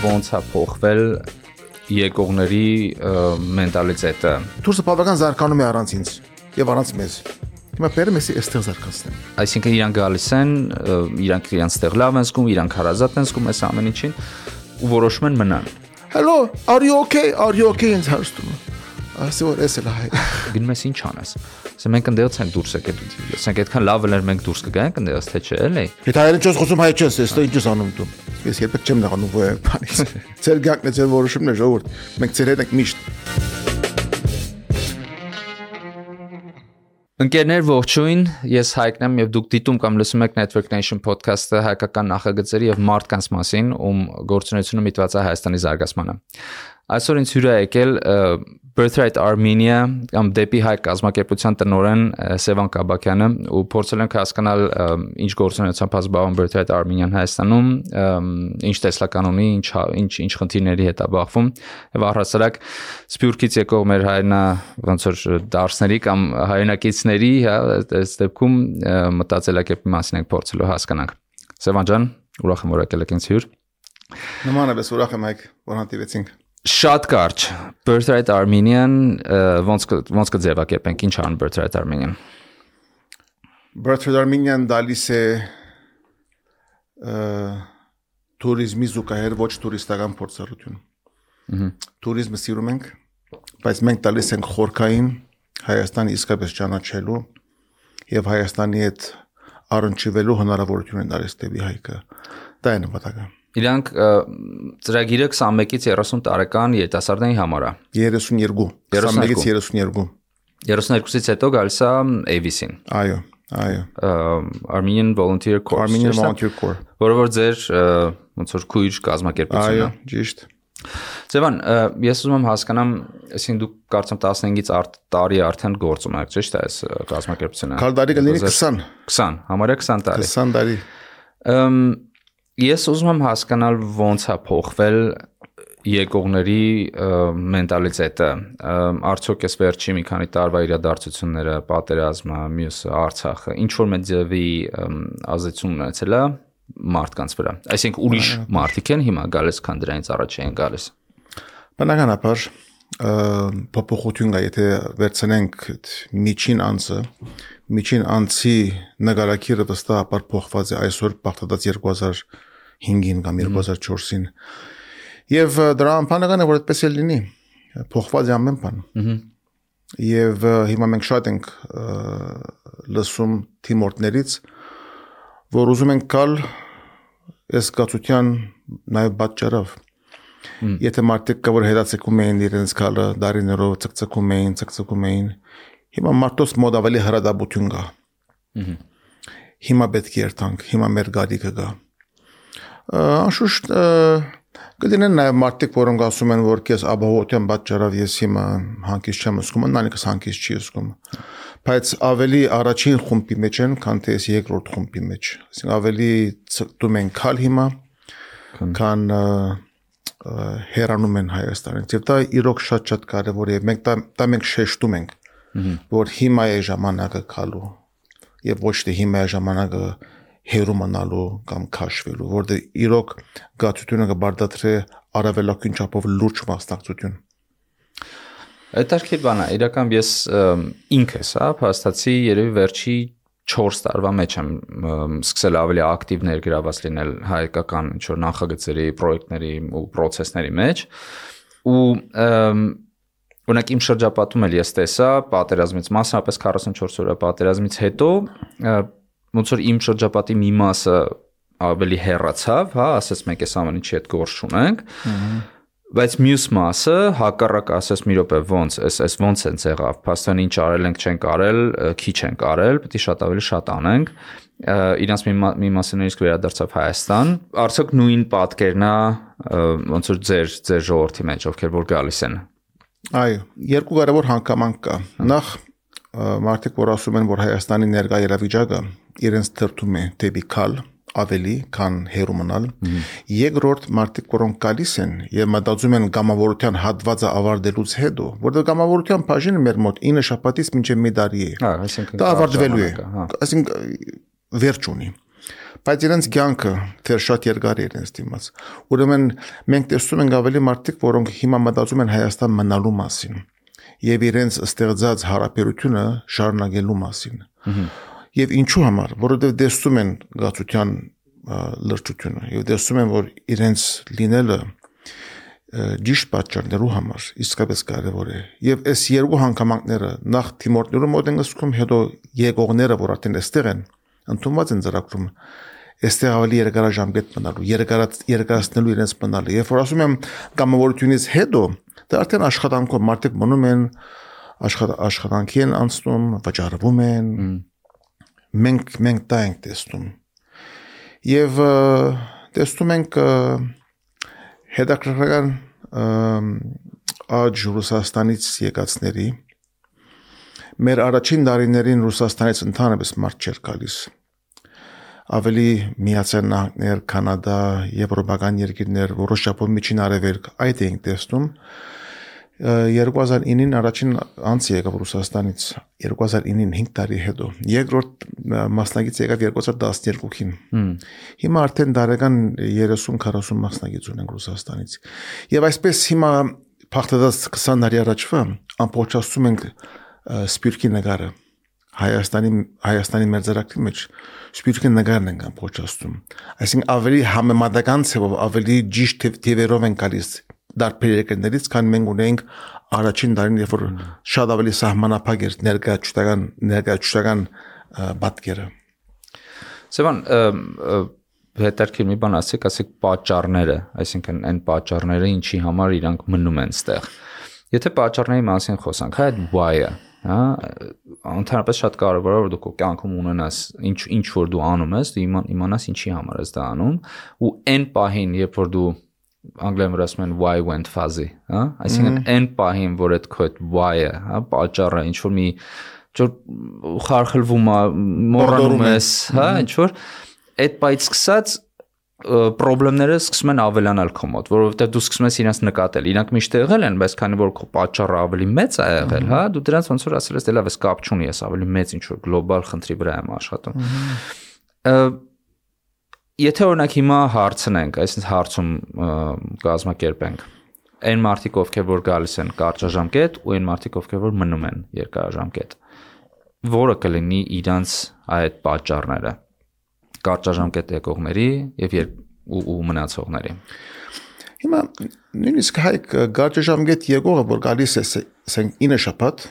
ոնց է փոխվել եկողների մենտալիտետը։ Դուրսը բավական զարգանում է առանց ինձ եւ առանց մեզ։ Հիմա բերեմ էսի այստեղ զարգացնեմ։ Այսինքն իրանք գալիս են, իրանք իրենց տեղ լավ են զգում, իրանք հարազատ են զգում այս ամեն ինչին ու որոշում են մնան։ Hello, are you okay? Are you okay ինձ հարցնում։ Ասի որ էս էլ հայ։ Գնում ես ինչ անես։ Ասեմ մենք ընդդեղից ենք դուրս եկել։ Ասենք այդքան լավ էր մենք դուրս կգանք ընդդեղից թե չէ, էլի։ Եթե հայերեն չես խոսում հայ չես, էստեղ ինչ ես անում դու։ Ես երբեք չեմ նեղանում ոյ բանից։ Ձեր գանքն է ձեր որոշումն է ժողովուրդ։ Մենք ձեր հետ ենք միշտ։ Ընկերներ ողջույն, ես Հայկն եմ եւ դուք դիտում կամ լսում եք Network Nation podcast-ը հայկական նախագծերի եւ մարդկանց մասին, ում գործունեությունը միտված է Հայաստանի զարգացմանը։ Այսօր ինձ հյուր է եկել Birthright Armenia կամ դեպի հայ կազմակերպության տնօրեն Սևան Կաբակյանը ու փորձել ենք հասկանալ ինչ գործունեությամբ զբաղվում Birthright Armenia-ն Հայաստանում, ինչ տեսլական ունի, ինչ խնդիրների հետ է բախվում եւ առհասարակ Սփյուռքից եկող մեր հայրենա ոնց որ դարսների կամ հայրենակիցների, հա, այս դեպքում մտածելակերպի մասին ենք փորձելու հասկանանք։ Սևան ջան, ուրախ եմ որ եկել եք ինձ հյուր։ Նմանապես ուրախ եմ Հայկ, որ հանդիպեցինք։ Շատ կարճ Birthright Armenia-ն ոնց կձևակերպենք, ինչ ան Birthright Armenia-ն։ Birthright Armenia-ն դալիս է туриզմի զուգահեռ ոչ տուրիստական փորձառություն։ Туриզմը սիրում ենք, բայց մենք տալիս ենք խորքային Հայաստանը իսկապես ճանաչելու եւ Հայաստանի հետ առնչվելու հնարավորություն են տալիս դեպի Հայկը։ Դա է նպատակը։ Իրանք ծրագիրը 21-ից 30 տարեկան երիտասարդների համար է։ 32, 21-ից 32։ 32-ից հետո գալիս է AVC-ին։ Այո։ Armenian Volunteer Corps։ Armenian Volunteer Corps։ Որը որ ձեր ոնց որ քույր կազմակերպությունն է։ Այո, ճիշտ։ Սևան, ես ուզում եմ հասկանամ, այսինքն դուք կարծեմ 15-ից տարի արդեն գործում եք, ճիշտ է այս կազմակերպությունը։ Քալդարի կլինի 20։ 20, համարյա 20 տարի։ 20 տարի։ Ես ուզում եմ հասկանալ ոնց է փոխվել եկողների մենտալիտետը։ Արդյոք այս վերջի մի քանի տարվա իրադարձությունները, պատերազմը, մյուսը, Արցախը, ինչ որ մեծ ձևի ազդեցություն ունեցել է մարդկանց վրա։ Այսինքն ուրիշ մարդիկ են հիմա գալիս, քան դրանից առաջ էին գալիս։ Բնականաբար փոփոխություն կա, եթե վերցնենք միջին անցի նկարակիրը վստահաբար փոխված է այսօր բաղթած 2005-ին կամ 2004-ին։ Եվ դրա ամփանական է որ այդպես է լինի, փոխված է ամեն բան։ Եվ հիմա մենք շատ ենք լսում թիմորդներից, որ ուզում ենք գալ այս գացության նաև պատճառով։ Եթե մարդիկ կա որ հետացկում էին իրենց գալը, դարիներով ցկցկում էին, հիմա մարդոց մոտ ավելի հրադաբություն կա։ Հիմա պետք է երթանք, հիմա մեր գալիքը կա։ Անշուշտ կդինեն նաև մարդիկ, որոնք ասում են, որ քեզ ապահովության պատճառով ես հիմա հանգիստ չեմ զգում, նույնիսկ հանգիստ չի զգում։ Բայց ավելի առաջին խումբի մեջ են, քան թե ես երկրորդ խումբի մեջ։ Այսինքն ավելի ցկտում են քալ հիմա, քան հեռանում են Հայաստանից։ Եվ դա իրոք շատ կարևոր է։ Մենք շեշտում ենք, որ հիմա է ժամանակը քալու եւ ոչ թե հիմա է ժամանակը հերու մնալու կամ քաշվելու, որտեղ իրոք գացությունը կբարդացրի առավելագույն չափով լուրջ մասնակցություն։ Հետաքրքիր բան է, իրական ես ինքս, փաստացի երևի վերջի 4 տարվա մեջ եմ սկսել ավելի ակտիվ ներգրաված լինել հայկական ինչ-որ նախագծերի, պրոյեկտների ու պրոցեսների մեջ ու օրինակ իմ շրջապատում էլ ես տեսա պատերազմից մասնապես 44 օրյա պատերազմից հետո ոնց որ իմ շրջապատի մի մասը ավելի հեռացավ, հա, ասես մենք այս ամեն ինչի հետ գործ չունենք, բայց մյուս մասը հակառակ ասես մի րոպե ոնց են եղավ, փաստորեն ինչ արել ենք չենք արել, քիչ ենք արել, պետք է շատ ավելի շատ անենք, իրանց մի մասը նույնիսկ վերադարձավ Հայաստան, արդյոք նույն պատկերն է ոնց որ ձեր ժողովրդի մեջ, ովքեր որ գալիս են։ Այո, երկու կարևոր հանգամանք կա։ Նախ մարդիկ որ ասում են, որ Հայաստանի ներկա իրավիճակը իրենց դրդում է դեպի քալ ավելի, քան հերու մնալ։ Երկրորդ մարդիկ, որոնք գալիս են եւ մտածում են կամավորության հատվածը ավարտելուց հետո, որտեղ կամավորության բաժինը մեր մոտ 9 շաբաթից մինչեւ մի տարի է։ Դա ավարտվելու է։ Այսինքն վերջ ունի։ բայց իրենց կյանքը դեռ շատ երկար է իրենց դիմաց։ Ուրեմն մենք տեսնում ենք ավելի մարդիկ, որոնք հիմա մտածում են Հայաստան մնալու մասին եւ իրենց ստեղծած հարաբերությունը շարունակելու մասին։ Եվ ինչու համար, որովհետեւ տեսնում են գացության լրջությունը եւ տեսում են, որ իրենց լինելը ճիշտ պատճառներու համար իսկապես կարևոր է։ Եվ այս երկու հանգամանքները նախ թիմորդներու մոտ են ասում, հետո եկողները, որ արդեն այստեղ են, ընդունված են ծրագրում, այստեղ ավելի երկարաժամկետ մնալու, երկարացնելու իրենց մնալը։ Երբ որ ասում եմ կամավորությունից հետո, դա արդեն աշխատանքով մարդիկ մնում են, աշխատանքի են անցնում, վճարվում են։ Մենք դա ենք տեսնում։ Եվ տեսնում ենք հետաքրքրական աճ Ռուսաստանից եկածների մեր առաջին տարիներին Ռուսաստանից ընդհանրապես մարդ չէր գալիս։ Ավելի Միացյալ Նահանգներ, Կանադա, եվրոպական երկիրներ, որոշ չափով միջին արևելք այդ էինք տեսնում։ 2009-ին առաջին անց եկավ Ռուսաստանից 2009-ին 5 տարի հետո։ Երկրորդ մասնագիծ եկավ 2012-ին։ Հիմա արդեն դարեկան 30-40 մասնագիծ ունենք Ռուսաստանից։ Եվ այսպես հիմա փախտած 20 տարի առաջվա ամբողջացնում ենք սպյուրքի նկարը Հայաստանի մերձարակի մեջ սպյուրքի նկարն ենք ամբողջացնում։ Այսինքն ավելի համեմատական ցավով ավելի ճիշտ թվերով են գալիս դարբեր երկրներից, քան մենք ունենք առաջին տարին, երբ որ շատ ավելի սահմանափակ էր ներկայացուցական պատկերը։ Սևան, հետաքրքիր մի բան ասեք պատճառները, այսինքն այն պատճառները, ինչի համար իրանք մնում են ստեղ։ Եթե պատճառների մասին խոսանք, այդ why-ը, հա, ընդհանրապես շատ կարևոր է, որ դու քո կյանքում ունենաս ինչ որ դու անում ես, դու իմանաս ինչի համար ես դա անում, ու այն պահին, երբ որ դու անգլերեն ասում են why went fuzzy, հա, այսինքն այն պահին, որ այդ քո why-ը, հա, պատճառը ինչ որ մի խարխլվում է, մոռանում ես, հա, ինչ որ այդ պայից սկսած պրոբլեմները սկսում են ավելանալ քո մոտ, որովհետև դու սկսում ես իրենց նկատել։ Իրանք միշտ եղել են, բայց քանի որ քո պատճառը ավելի մեծ է եղել, հա, դու դրանց ոնց որ ասել ես, դե լավ, ես կապ չունի, ես ավելի մեծ ինչ որ գլոբալ խնդրի վրա եմ աշխատում։ Եթե օրինակ հիմա հարցնենք, այսինքն հարցում կազմակերպենք, այն մարդիկ, ովքեր որ գալիս են կարճաժամկետ, ու այն մարդիկ, ովքեր որ մնում են երկարաժամկետ, որը կլինի իրանց այդ պատճառները կարճաժամկետ եկողների եւ ու մնացողների։ Հիմա նույնիսկ հայք կարճաժամկետ եկողը, որ գալիս է, ասենք 9 շաբաթ,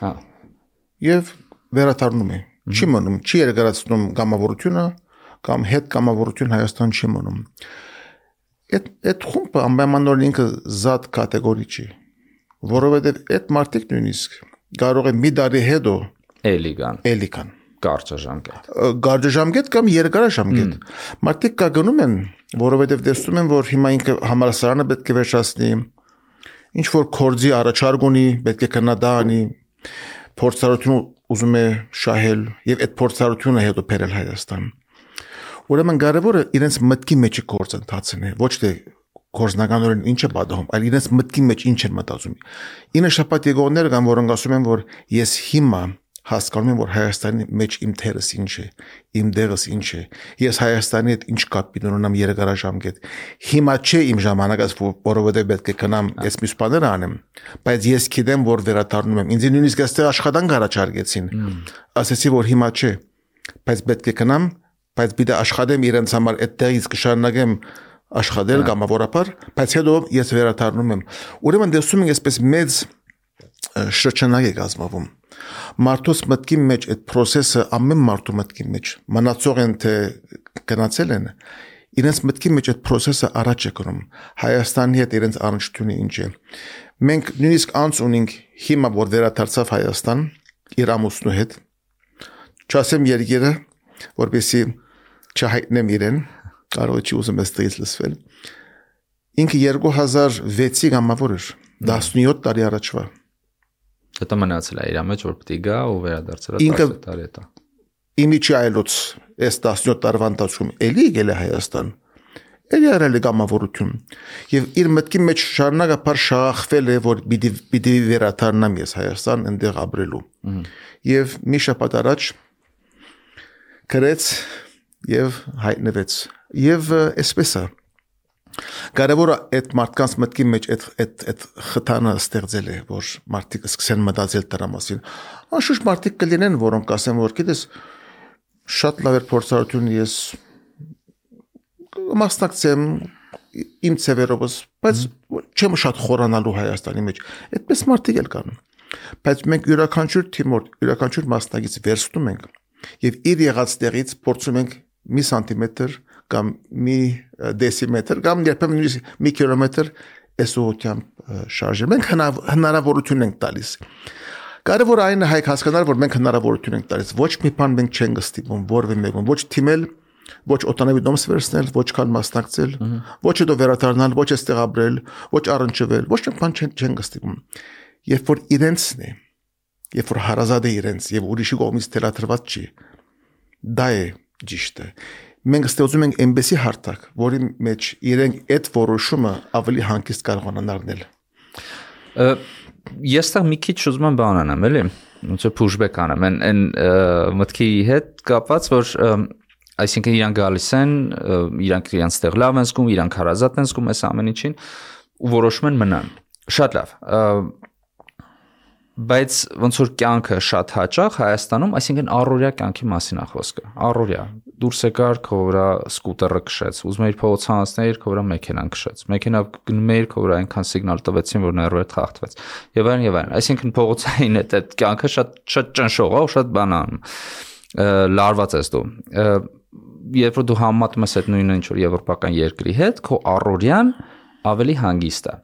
եւ վերադառնում է, չի մնում, չի երկարացնում կամավորությունը, կամ հետ կամավորություն Հայաստան չի մնում։ Այդ խումբը անպայմանորեն ինքը զատ կատեգորի չի, որովհետեւ այդ մարդիկ նույնիսկ կարող է մի տարի հետո էլի կան կարճաժամկետ կամ երկարաժամկետ։ Մարդիկ կա գնում են, որովհետև տեսնում են, որ հիմա ինքը համալսարանը պետք է վերջացնի, ինչ որ կորձի առաջարկ ունի, պետք է քննադա անի, փորձառություն ուզում է շահել եւ այդ փորձառությունը հետո բերել Հայաստան։ Ուրեմն կարևորը իրենց մտքի մեջ գործընթացն է, ոչ թե գործնականորեն ինչ է պատահում, այլ իրենց մտքի մեջ ինչ են մտածում։ 9 շաբաթ եկողներ կան, որոնք ասում են, որ ես հիմա հասկանում եմ, որ Հայաստանի մեջ իմ թերս ինչ է, իմ դեղս ինչ է, ես Հայաստանի հետ ինչ կապ ունեմ երկարաժամկետ։ Հիմա չէ իմ ժամանակս, որովհետև պետք է գնամ այս մյուս բաները անեմ, բայց ես գիտեմ, որ վերադառնում եմ։ Ինձ նույնիսկ այստեղ աշխատանք առաջարկեցին։ Ասեցի, որ հիմա չէ, բայց պետք է գնամ, բայց պիտի աշխատեմ իրենց համար, այդտեղից կշարունակեմ աշխատել կամավորապես, բայց հետո ես վերադառնում եմ։ Ուրեմն տեսնում ենք այսպես մեծ շրջանակ է կազմվում։ Մարդուս մտքի մեջ այդ process-ը ամեն մարդու մտքի մեջ մնացող են թե գնացել են, իրենց մտքի մեջ այդ process-ը առաջ է գնում։ Հայաստանի հետ իրենց առնչությունը ինչ է։ Մենք նույնիսկ անց ունենք հիմա որ վերադարձավ Հայաստան իր ամուսնու հետ, չասեմ երկիրը, որպեսզի չհայտնեմ իրեն, կարող չի ուզում այստեղից լսվել։ Ինքը 2006-ի գամավոր էր, 17 տարի առաջվա։ Դա մնացել է իր մեջ, որ պետք է գա ու վերադարձել է 10 տարի հետո։ Իմիջի այլոց այս 17 տարվա ընթացքում էլի եկել է Հայաստան։ Էլի արել է գամավորություն։ Եվ իր մտքի մեջ շարունակապար շաղախվել է, որ պիտի վերադառնամ ես Հայաստան այնտեղ ապրելու։ Եվ մի շաբաթ առաջ գրեց եւ հայտնվեց եւ այսպես է կարևորը այդ մարդկանց մտքի մեջ այդ խթանը ստեղծել է որ մարդիկ սկսեն մտածել դրա մասին անշուշտ մարդիկ կլինեն որոնք ասեն որ գիտես շատ լավ էր փորձառություն ես մասնակցեմ իմ ծևերովս բայց չեմ շատ խորանալու Հայաստանի մեջ այդպես մարդիկ էլ կան բայց մենք յուրաքանչյուր թիմոր յուրաքանչյուր մասնակից վերցնում ենք եւ իր եղած տեղից փորձում ենք մի սանտիմետր կամ մի դեսիմետր կամ երբեմն մի կիլոմետր այսօրությամբ շարժել մենք հնարավորություն ենք տալիս կարևոր այն է հայք հասկանալ որ մենք հնարավորություն ենք տալիս ոչ մի բան մենք չենք ստիպում որևէ մեկում ոչ թիմել ոչ օտանավի դոմս վերցնել ոչ կան մասնակցել ոչ հետո վերադառնալ ոչ այստեղ ապրել ոչ առնչվել ոչ մի բան չենք ստիպում երբ որ իրենցն է երբ որ հարազատ է իրենց եւ ուրիշի կողմից թելադրված չի դա է ճիշտը մենք ստեղծում ենք այնպեսի հարթակ որի մեջ իրենք այդ որոշումը ավելի հանգիստ կարողանան առնել ես տեղ մի քիչ ուզում եմ բան անեմ էլի ոնց է pushback անեմ այն մտքի հետ կապված որ այսինքն իրանք գալիս են իրանք իրենց տեղ լավ են զգում իրանք հարազատ են զգում այս ամեն ինչին ու որոշում են մնան շատ լավ բայց ոնց որ կյանքը շատ հաճախ Հայաստանում, այսինքն առօրյա կյանքի մասին է խոսքը։ Առօրյա դուրս եկար, քո վրա սկուտերը քշեց, ուզում էիր փողոց հանածներ, քո վրա մեքենան քշեց։ Մեքենա գնում էր, քո վրա այնքան սիգնալ տվեցին, որ ներվերը խախտվեց։ Եվ այլն եւ այլն։ Այսինքն փողոցային այդ կյանքը շատ ճնշող է, ու շատ բանան լարված ես դու։ Երբ որ դու համեմատում ես այդ նույնը ինչ որ եվրոպական երկրի հետ, քո առօրյան ավելի հանգիստ է։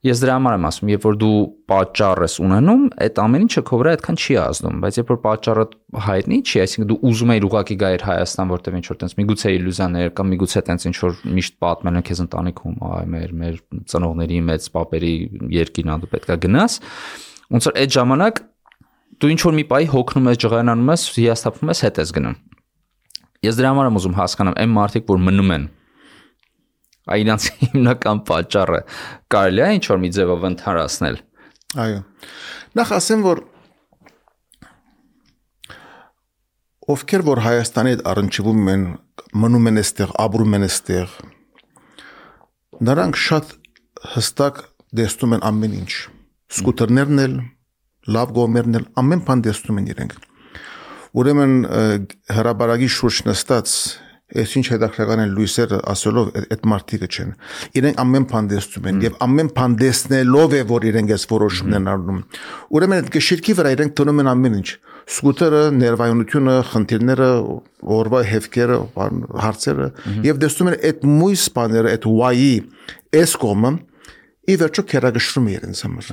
Ես դրա համար եմ ասում, երբ որ դու պատճառ ես ունենում, այդ ամեն ինչը քո վրա այդքան չի ազդում, բայց երբ որ պատճառը հայտնի չի, այսինքն դու ուզում ես ուղղակի գայր Հայաստան, որտեղ ինչ որ տենց միգուցե իլյուզիաներ կամ միգուցե տենց ինչ որ միշտ պատմել են քեզ ընտանիքում, այ մեր ծնողների մեծ պապերի երկինա դու պետքա գնաս, ոնց որ այդ ժամանակ դու ինչ որ մի պահի հոգնում ես, ջղայնանում ես, հիասթափվում ես, հետ ես գնում։ Ես դրա համար եմ ուզում հասկանամ այն մարդիկ, որ մնում են Այնց հիմնական պատճառը կարելի է ինչ որ մի ձևով ընդհանրացնել։ Այո։ Նախ ասեմ, որ ովքեր որ Հայաստանի հետ առնչվում են, մնում են այստեղ, ապրում են այստեղ, նրանք շատ հստակ տեսնում են ամեն ինչ։ Սկուտերներն էլ, լավ գոմերն էլ, ամեն բան տեսնում են իրենք։ Ուրեմն հրաբարագի շուրջ նստած Այս ինչ հետաքրքրական են լույսերը ասելով այդ մարդիկը չեն։ Իրենք ամեն բան տեսնում են եւ ամեն բան տեսնելով է որ իրենք այս որոշումն են առնում։ Ուրեմն այդ գշիրքի վրա իրենք տոնում են ամեն ինչ։ Սկուտերը, ներվայունությունը, խնդիրները, օրվա հեվքերը, հարցերը եւ տեսնում են այդ մույս բաները, այդ why-ի այս կողմը ի վերջո քերագշրում է իրենց համար։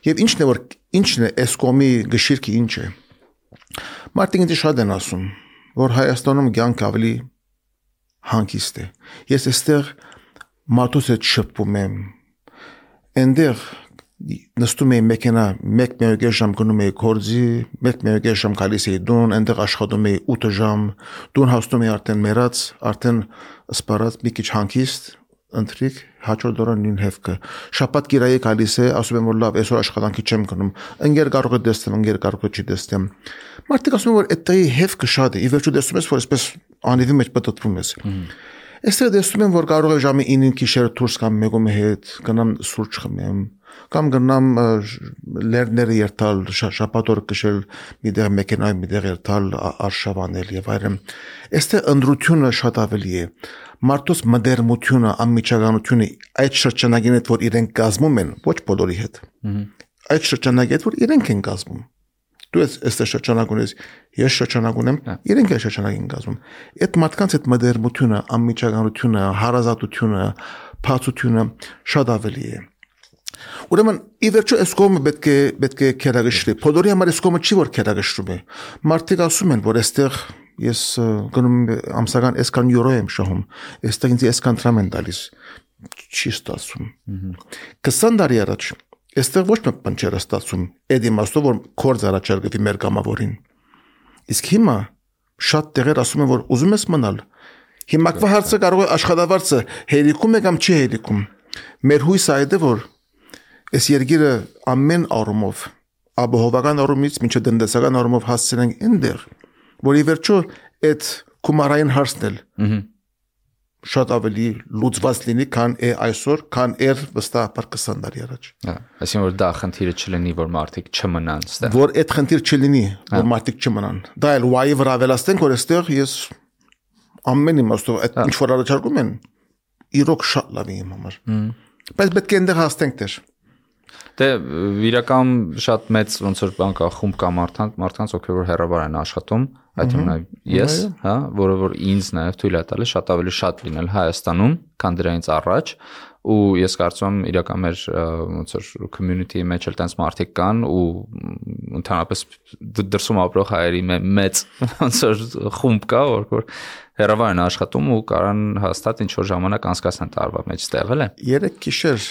Եվ ինչն է այս կողմի գշիրքը ինչ է։ Մարդիկ ինձ շատ են ասում որ Հայաստանում կյանք ավելի հանգիստ է։ Ես այստեղ մարդուց հետ շփվում եմ։ Այնտեղ նստում եմ մեքենա, 1-1.5 ժամ գնում եմ գործի, 1-1.5 ժամ գալիս եմ տուն, այնտեղ աշխատում եմ 8 ժամ, տուն հասնում եմ արդեն մեռած, արդեն սպառած, մի քիչ հանգիստ, ընտրիկ, հաջորդ օրը նույն հեվքը։ Շաբաթ գիրայի գալիս է, ասում եմ որ լավ, այսօր աշխատանքի չեմ գնում։ Ընկեր կարող է տեսնեմ, ընկեր կարող է չի տեսնեմ։ Մարդիկ ասում են որ այդտեղի հեվքը շատ է, ի վերջո տեսնում ես որ այսպես անիվի մեջ պատտվում ես։ Այստեղ տեսնում եմ որ կարող է ժամի 9-ին գիշերը դուրս կամ մեկում հետ գնամ սուրճ խմեմ, կամ գնամ լերները երթալ, շաբաթ օր կշել միտեղ մեքենայի միտեղ երթալ, արշավանել եւ այլն։ Այստեղ ընդրությունը շատ ավելի է։ Մարդոց մդերմությունը, անմիջականությունը այդ շրջանագին հետ որ իրենք կազմում են, ոչ բոլորի հետ։ Այդ շրջանագի հետ որ իրենք են կազմում։ Դու ես շրջանակ ունես, ես շրջանակ ունեմ, իրենք են շրջանակ են կազմում։ Այդ մարդկանց այդ մդերմությունը, անմիջականությունը, հարազատությունը, փածությունը շատ ավելի է։ Ուրեմն ի վերջո այս կողմը պետք է քերագշրի։ Բոլորի համար այս կողմը չի որ քերագշրում է։ Մարդիկ ասում են որ այստեղ ես գնում ամսական այսքան յուրո եմ շահում, այստեղ ինձ այսքան դրամ են տալիս։ Չի ստացվում։ 20 տարի առաջ այստեղ ոչ մի բան չէր ստացվում։ Այդ իմաստով որ կորձ առաջարկվի մեր կամավորին։ Իսկ հիմա շատ տեղեր ասում են որ ուզում ես մնալ։ Հիմա հարցը կարող է աշխատավարձը հերիքում է կամ չի հերիքում։ Մեր հույսը այդ է որ այս երկիրը ամեն առումով ապահովական առումից մինչև տնտեսական առումով հասցնենք այնտեղ, որ ի վերջո այդ Կումարային հարցնել։ Շատ ավելի լուծված լինի, քան այսօր, քան վստահաբար 20 տարի առաջ։ Այսինքն որ դա խնդիրը չլինի, որ մարդիկ չմնան այստեղ։ Որ այդ խնդիր չլինի, որ մարդիկ չմնան։ Դա էլ why-ի վրա ավելացնենք, որ այստեղ ես ամեն իմաստով այդ ինչ որ առաջարկում են, իրոք շատ լավ է իմ համար։ Բայց պետք է այնտեղ հասնենք դեր։ Դե իրական շատ մեծ ոնց որ բան կա խումբ կա մարդկանց ովքեր որ հեռավար են աշխատում, այդ թվում ես, հա, որը որ ինձ նաև թույլ է տալիս շատ ավելի շատ լինել Հայաստանում, քան դրանից առաջ, ու ես կարծում եմ իրական մեր ոնց որ community-ի մեջ էլ տենց մարդիկ կան ու ընդհանրապես դրսում ապրող հայերի մեծ ոնց որ խումբ կա, որ հեռավար են աշխատում ու կարան հաստատ ինչ որ ժամանակ անցկացնեն տարվա մեջ ստեղ էլ է։ 3 գիշեր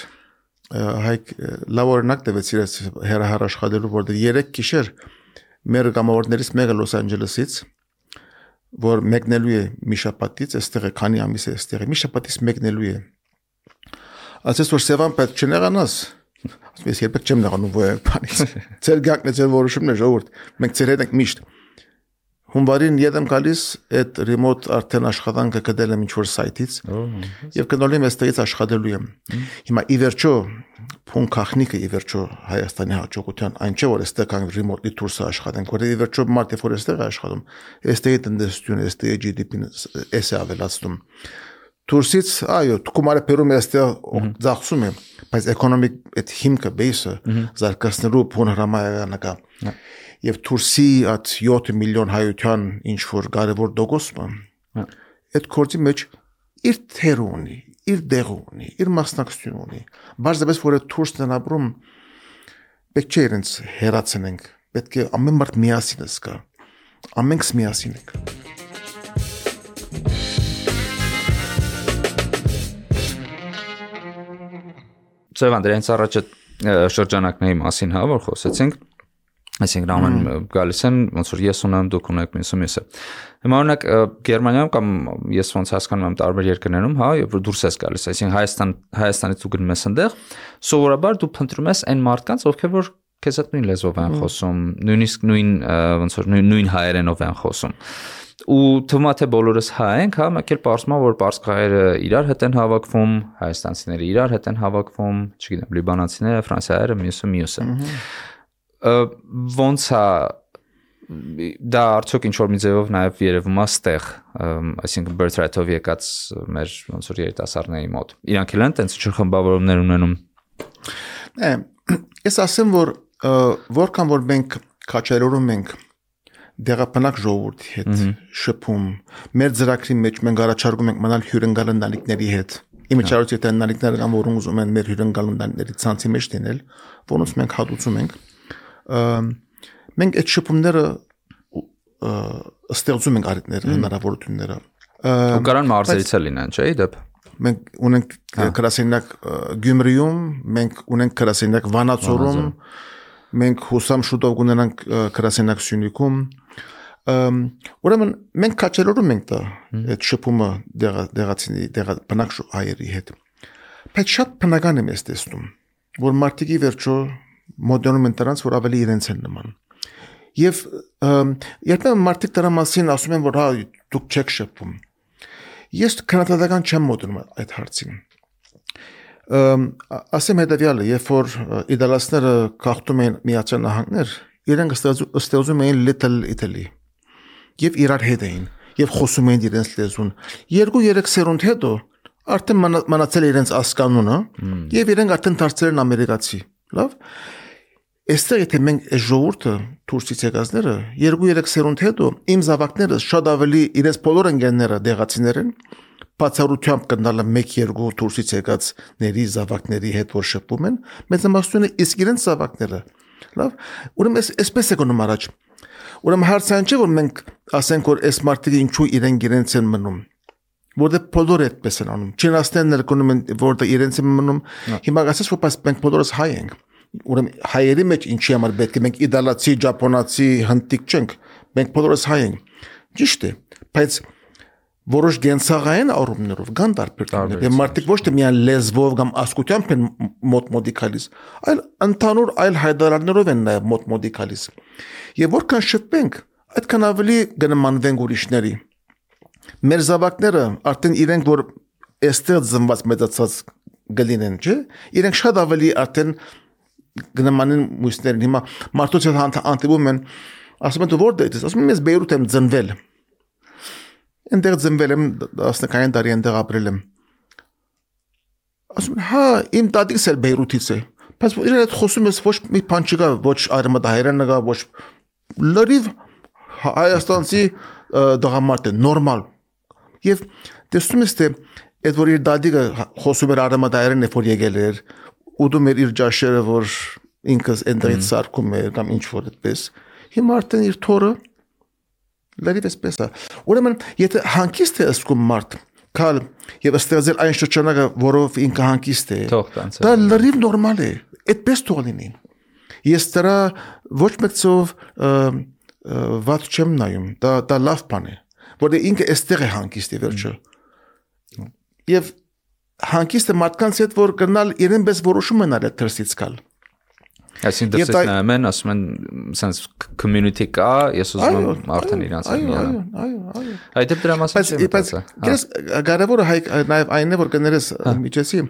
հայք լավ օրինակ տվեցիր այս հեռահար աշխատելու, որտեղ 3 գիշեր մեր գամավորներից մեկը Լոս Անջելեսից, որ մեկնելու է մի շաբաթից, այստեղ է քանի ամիս է այստեղ է, մի շաբաթից մեկնելու է։ Ասես որ Սևան պետք չնեղանաս, ասում ես երբեք չեմ նեղանում ոյ բանից։ Ձեր գակն է ձեր որոշումն է ժողովուրդ, մենք ձեր հետ ենք միշտ։ Հունվարին ետեմ գալիս այդ remote արդեն աշխատանքը գտել եմ ինչ-որ սայթից եւ գնալու եմ այստեղից աշխատելու եմ։ Հիմա ի վերջո փուն քախնիկը ի վերջո Հայաստանի հաջողության այն չէ որ այստեղ կան remote-ly tours-ը աշխատենք, որ ի վերջո մարդը որ այստեղ է աշխատում, այստեղի տնտեսությունը, այստեղի GDP-ն էս է ավելացնում։ Tours-ից այո, կոմարը Պերում այստեղ ծախսում է, բայց էկոնոմիկ այդ հիմքը base-ը զարգացնելու փուն հրամայական կա։ Եվ Թուրսի այդ 7 միլիոն հայության ինչ որ կարևոր դոգոսը այդ կորձի մեջ իր թերը ունի, իր դեղը ունի, իր մասնակցություն ունի։ Բարձրապես որ այդ Թուրսն ապրում պետք չէ իրենց հերացնենք, պետք է ամեն մարդ միասին զգա, ամենքս միասին ենք։ Սևան, դրանից առաջ շրջանակների մասին հա որ խոսեցինք, այսինքն ամեն գալիս են ոնց որ ես ունեմ դուք ունեք մյուսը։ Հիմա օրինակ Գերմանիայում կամ ես ոնց հասկանում եմ տարբեր երկրներում, հա, երբ որ դուրս ես գալիս, այսինքն Հայաստանից դու գնում ես այնտեղ, սովորաբար դու փնտրում ես այն մարդկանց, ովքեր որ քեզ հետ նույն լեզվով են խոսում, նույնիսկ նույն ոնց որ նույն հայերենով են խոսում։ Ու թվում է թե բոլորս հայ ենք, հա, մեկ էլ պարզվում է որ պարսկահայերը իրար հետ են հավաքվում, հայաստանցիները իրար հետ են հավաքվում, չգիտեմ, լիբանանցիները, ֆրանսիացիները, մյուսը։ Ոնց է դա արդյոք ինչ որ մի ձևով նաև երևում է ստեղ, այսինքն birthright-ով եկած մեր ոնց որ երիտասարդների մոտ։ Իրանք էլ են տենց ինչ խմբավորումներ ունենում։ Ես ասեմ որ որքան որ մենք քաչերորում ենք դեղապնակ ժողովրդի հետ շփում, մեր ծրագրի մեջ մենք առաջարկում ենք մնալ հյուրընկալ ընտանիքների հետ։ Իմիջիայլոց եթե ընտանիքները կամ որոնք ուզում են մեր հյուրընկալ ընտանիքների ցանցի մեջ դնել, որոնց մենք հատուցում ենք, մենք այդ շփումները ստեղծում ենք առիթները, հնարավորությունները։ Ու կարան մարզերից էլ լինեն, չէ՞, դեպ։ Մենք ունենք գրասենյակ Գյումրիում, մենք ունենք գրասենյակ Վանաձորում, մենք հուսամ շուտով կունենանք գրասենյակ Սյունիքում։ Ուրեմն մենք քաչերորում ենք դա այդ շփումը դեղացիների բնակ հայերի հետ։ Բայց շատ բնական եմ ես տեսնում, որ մարդիկի վերջո մոդերնում են դրանց, որ ավելի իրենց են նման։ Եվ երբեմն մարդիկ դրա մասին ասում են, որ հա դուք չեք շփվում։ Ես քննադատական չեմ մոդերում այդ հարցին։ Ասեմ հետևյալը, երբ որ իտալացիները գաղթում էին Միացյալ Նահանգներ, իրենք ստեղծում էին Little Italy եւ իրար հետ էին եւ խոսում էին իրենց լեզուն 2-3 սերունդ հետո արդեն մնացել իրենց ասկանունը եւ իրենք արդեն դարձել են ամերիկացի լավ այստեղ եթե մենք այս ժողովուրդը թուրքից եկածները 2-3 սերունդ հետո իմ զավակները շատ ավելի իրենց բոլոր ընկերները դեղացիներ են բացառությամբ կնալը 1-2 թուրքից եկածների զավակների հետ որ շփվում են մեծամասնությունը իսկ իրենց զավակները լավ ուրեմն այսպես է գնում առաջ ուրեմն հարցը այն չէ որ մենք ասենք որ այս մարդիկը ինչու իրենց են մնում որտեղ բոլորը այդպես են անում չինաստաններ գնում են որտեղ իրենց են մնում հիմա ասես որ մենք բոլորս հայ ենք ուրեմն հայերի մեջ ինչի համար պետք է մենք իտալացի, ճապոնացի, հնդիկ չենք, մենք բոլորս հայ ենք։ Ճիշտ է, բայց որոշ գենսաղային առումներով կան տարբերություններ։ Եվ մարդիկ ոչ թե միայն լեզվով կամ ասկությամբ են մոտ-մոտի գալիս, այլ ընդհանուր այլ հայտարարներով են նաև մոտ-մոտի գալիս։ Եվ որքան շփվենք, այդքան ավելի կնմանվենք ուրիշների։ մեր զավակները արդեն իրենք որ այստեղ ծնված մեծացած գլինեն, չէ՞։ Իրենք շատ ավելի արդեն գնամանին մույսներն հիմա մարդուց հանդիպում են, ասում են դու որտե՞ղ ես, ասում եմ ես Բեյրութ եմ ծնվել։ Այնտեղ ծնվել եմ 19 տարի այնտեղ ապրել եմ։ Ասում են հա իմ տատիկս էլ Բեյրութից է։ Բայց իրեն հետ խոսում ես ոչ մի բան չկա, ոչ արմատահայերեն կա, ոչ լրիվ հայաստանցի դղամարդ է, նորմալ։ Եվ տեսնում ես թե այդ որ իր դադիկը խոսում էր արմատահայերեն է որ եկել էր, ուտում էր իր ջաշերը, որ ինքս այնտեղից սարքում էր կամ ինչ որ այդպես։ Հիմա արդեն իր թորը լրիվ էսպես է։ Ուրեմն եթե հանգիստ է ասում մարդ, կալ եւ ստեղծել այն շրջանակը, որով ինքը հանգիստ է, դա լրիվ նորմալ է, այդպես թող լինի։ Ես դրա ոչ մեկցով վատ չեմ նայում, դա լավ բան է, որտեղ ինքը այստեղ է հանգիստ է վերջը։ Եվ հանգիստը մարդկանց հետ որ գնալ իրեն պես որոշում են արել դրսից գալ։ Այսինքն դրսից նայում են, ասում են, sense community կա, ես ուզում եմ արդեն իրանց միանալ։ Այո։ Այդ դրա մասին չեմ մտածել։ Բայց կարևորը նաև այն է որ կներես միջեցի,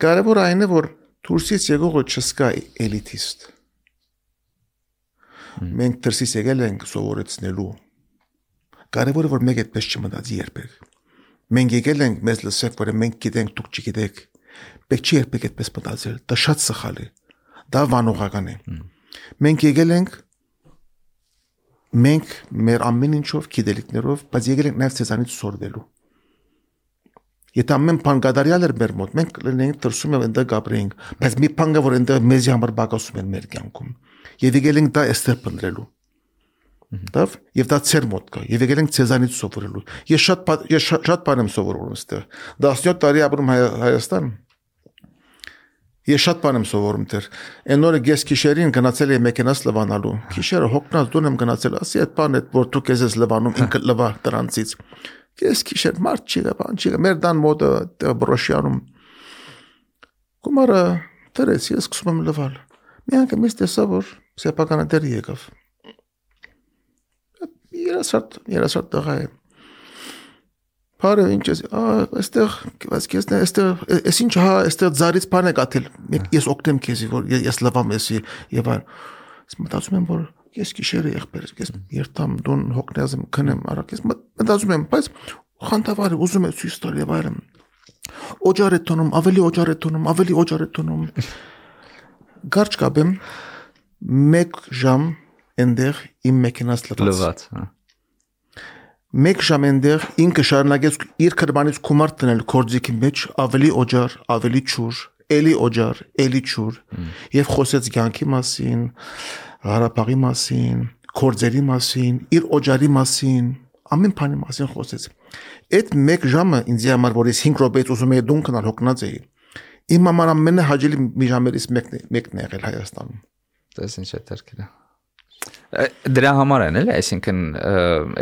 կարևորը այն է որ դուրսից եկողը չսկա էլիտիստ։ Մենք դրսից եկել ենք սովորեցնելու։ Կարևորը որ մեկ այդպես չմտածի երբեք։ Մենք եկել ենք մեզ լսեք, որ մենք գիտենք, դուք չգիտեք։ Պետք չի երբեք այդպես մտածել, դա շատ սխալ է։ Դա վանողական է։ Մենք եկել ենք մենք մեր ամեն ինչով գիտելիքներով, բայց եկել ենք նաև ցեզանից սորվելու։ Եթե ամեն բան կատարյալ էր մեր մոտ, մենք լինենք դրսում եւ այնտեղ ապրեինք, բայց մի բան կա որ այնտեղ մեզի համար բակասում են մեր կյանքում։ Եվ եկել ենք դա այստեղ փնտրելու։ Դավ եւ դա ծեր մոտ կա եւ եկել ենք ցեզանից սովորելու։ Ես շատ բան եմ սովորում այստեղ 17 տարի ապրում Հայաստան։ Ես շատ բան եմ սովորում դեռ։ Այն օրը գես քիշերին գնացել եմ մեքենաս լվանալու։ Քիշերը հոգնած դուն եմ գնացել, ասի այդ բանը որ դու քեզ ես լվանում ինքը լվա դրանցից։ Գես քիշեր մարդ չի գա, բան չի գա։ Մեր դան մոդը բրոշյանում։ Գումարը դրեց ես սկսում եմ լվալ։ Մի անգամ ես տեսա որ սեփականը դեր եկավ։ Երասարդ տղա է։ Բարը ինչ ես, այստեղ, այստեղ, ես ինչ հա, այստեղ ձարից բան է կաթել, ես օգնեմ քեզի, որ ես լվամ եսի, եւ այլ, ես մտածում եմ, որ ես գիշերը եղբեր, ես երթամ, դուն հոգնած եմ, քնեմ, արակ, ես մտածում եմ, բայց խանդավառ է, ուզում եմ ցույց տալ եւ այլն, օջար է տոնում, ավելի օջար է տոնում, Գարջ կապեմ, 1 ժամ այնտեղ իմ մեքենաս լվաց։ 1 ժամ այնտեղ ինքը շարունակեց իր քրմանից գումար տնել կորձիկի մեջ ավելի օջար, ավելի ջուր, էլի օջար, էլի ջուր եւ խոսեց կյանքի մասին, Ղարաբաղի մասին, կորձերի մասին, իր օջարի մասին, ամեն բանի մասին խոսեց։ Այդ 1 ժամը ինձ համար որ ես 5 րոպեից ուզում եի դուն գնալ հոգնած էի։ Իմ համար ամենահաճելի մի ժամերից մեկն է եղել Հայաստանում։ Դες ինչ է դերքերը։ Դրա համար են էլի, այսինքն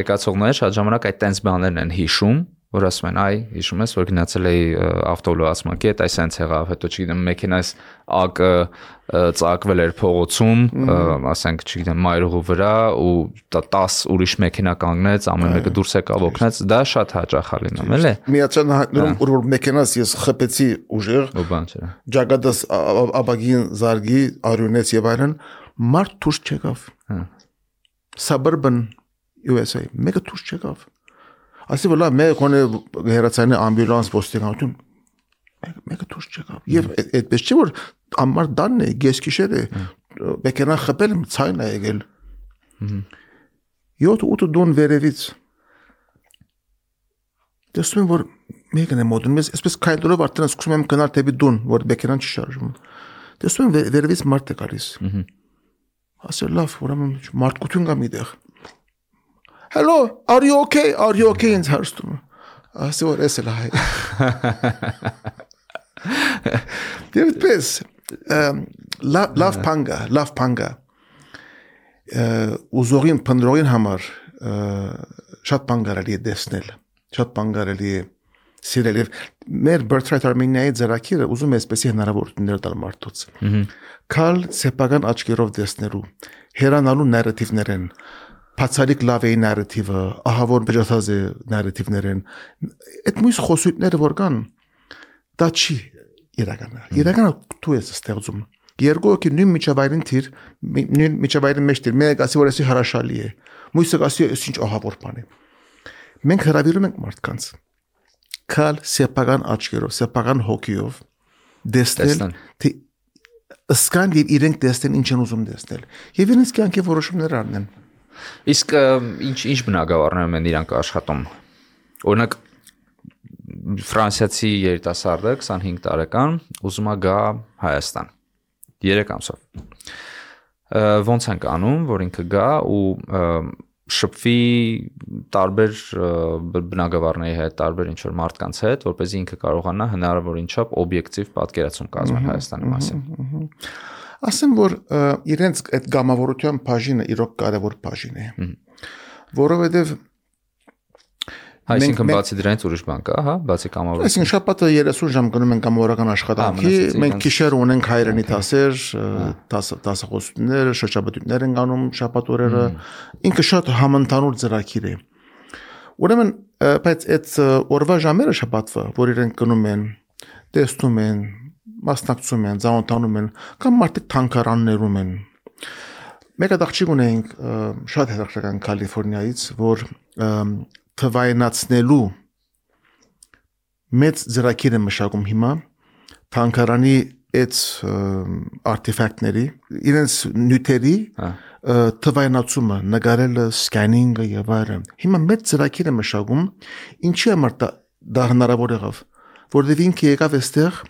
եկածողները շատ ժամանակ այդ տենց բաներն են հիշում, որ ասում են, այ հիշում ես, որ գնացել էի ավտոլոացմակետ, այս այնց եղավ, հետո չգիտեմ, մեքենայս ակը ծակվել էր փողոցում, ասենք, չգիտեմ, մայրուղու վրա ու 10 ուրիշ մեքենա կանգնեց, ամեն մեկը դուրս եկավ օգնեց, դա շատ հաճախ է լինում, էլի։ Միացան նորում որ մեքենաս ես խփեցի ուժեղ, ջագադս աբագին զարգի արյունեց եւ այլն, մարդ դուրս չեկավ։ Suburban USA, մեկը դուրս չեկավ։ Ասի որ լավ, մեկ կոնե հերացանի ամբյուլանս ոստիկանություն, մեկը դուրս չեկավ։ Եվ այդպես չէ որ ամար դանն է, գեսքիշեր է, մեքենա խփել եմ, ցայն է եկել։ 7-8 դոն վերևից։ Տեսնում եմ որ մեկն է մոտենում, ես այսպես քայլելով արդեն սկսում եմ գնալ դեպի դուն, որ մեքենան չի շարժվում։ Տեսնում եմ վերևից մարդ է գալիս։ Ասել լավ, ուրեմն մարդկություն կա միտեղ։ Hello, are you okay? Are you okay ինձ հարցնում։ Ասի որ էս էլ հայ։ Դեպս լավ փանգա։ Ուզողին փնդրողին համար շատ բան կարելի է տեսնել, շատ բան կարելի է սիրել եւ մեր Birthright Armenia-ի ծրագիրը ուզում է այսպեսի հնարավորություններ տալ մարդուց։ Կալ սեփական աչքերով տեսնելու, հերանալու նարատիվներ են, բացառիկ լավ է նարատիվը, ահա որ բժշկած է նարատիվներն, այդ մյուս խոսույթները որ կան, դա չի իրականը։ Իրականը դու ես ստեղծում։ Երկու հոգի նույն միջավայրին թիր, նույն միջավայրի մեջ թիր, մեկը ասի որ էսի հրաշալի է, մյուսը ասի ինչ ահավոր բան է։ Մենք հրավիրում ենք մարդկանց կալ սեփական աչքերով, սեփական հոգիով դեսնել, թե ըսկան եւ իրենք դեսնեն ինչ են ուզում դեսնել։ Եվ իրենց կյանքի որոշումներ առնեն։ Իսկ ինչ բնագավառներում են իրանք աշխատում։ Օրինակ ֆրանսիացի երիտասարդը 25 տարեկան ուզում է գա Հայաստան 3 ամսով։ Ոնց են անում, որ ինքը գա ու շփվի տարբեր բնագավառների հետ, տարբեր ինչ-որ մարդկանց հետ, որպեսզի ինքը կարողանա հնարավորին չափ օբյեկտիվ պատկերացում կազմել Հայաստանի մասին։ Ասեմ, որ իրենց այդ գամավորության բաժինը իրոք կարևոր բաժին է, որովհետև այսինքն բացի դրանից ուրիշ բան կա, հա, բացի կամավորություն։ Այսինքն շաբաթը 30 ժամ գնում ենք կամավորական աշխատանքի, մենք գիշեր ունենք հայրենի դասեր, դասախոսություններ, շրջաբտույտներ են անում շաբաթ օրերը, ինքը շատ համընդհանուր ծրագիր է։ Ուրեմն, բայց այդ օրվա ժամերը շաբաթվա, որ իրենք գնում են, տեսնում են, մասնակցում են, ծանոթանում են, կամ մարդիկ թանգարաններում են։ Մեկ աղջիկ ունենք շատ հետաքրքրական Կալիֆոռնիայից, որ թվայնացնելու մեծ ծրագիր է մշակում հիմա թանգարանի այդ արտեֆակտների իրենց նյութերի թվայնացումը, նկարելը, սկանինգը եւ այլն։ Հիմա մեծ ծրագիր է մշակում, ինչի համար դա հնարավոր եղավ, որովհետեւ ինքը եկավ այստեղ,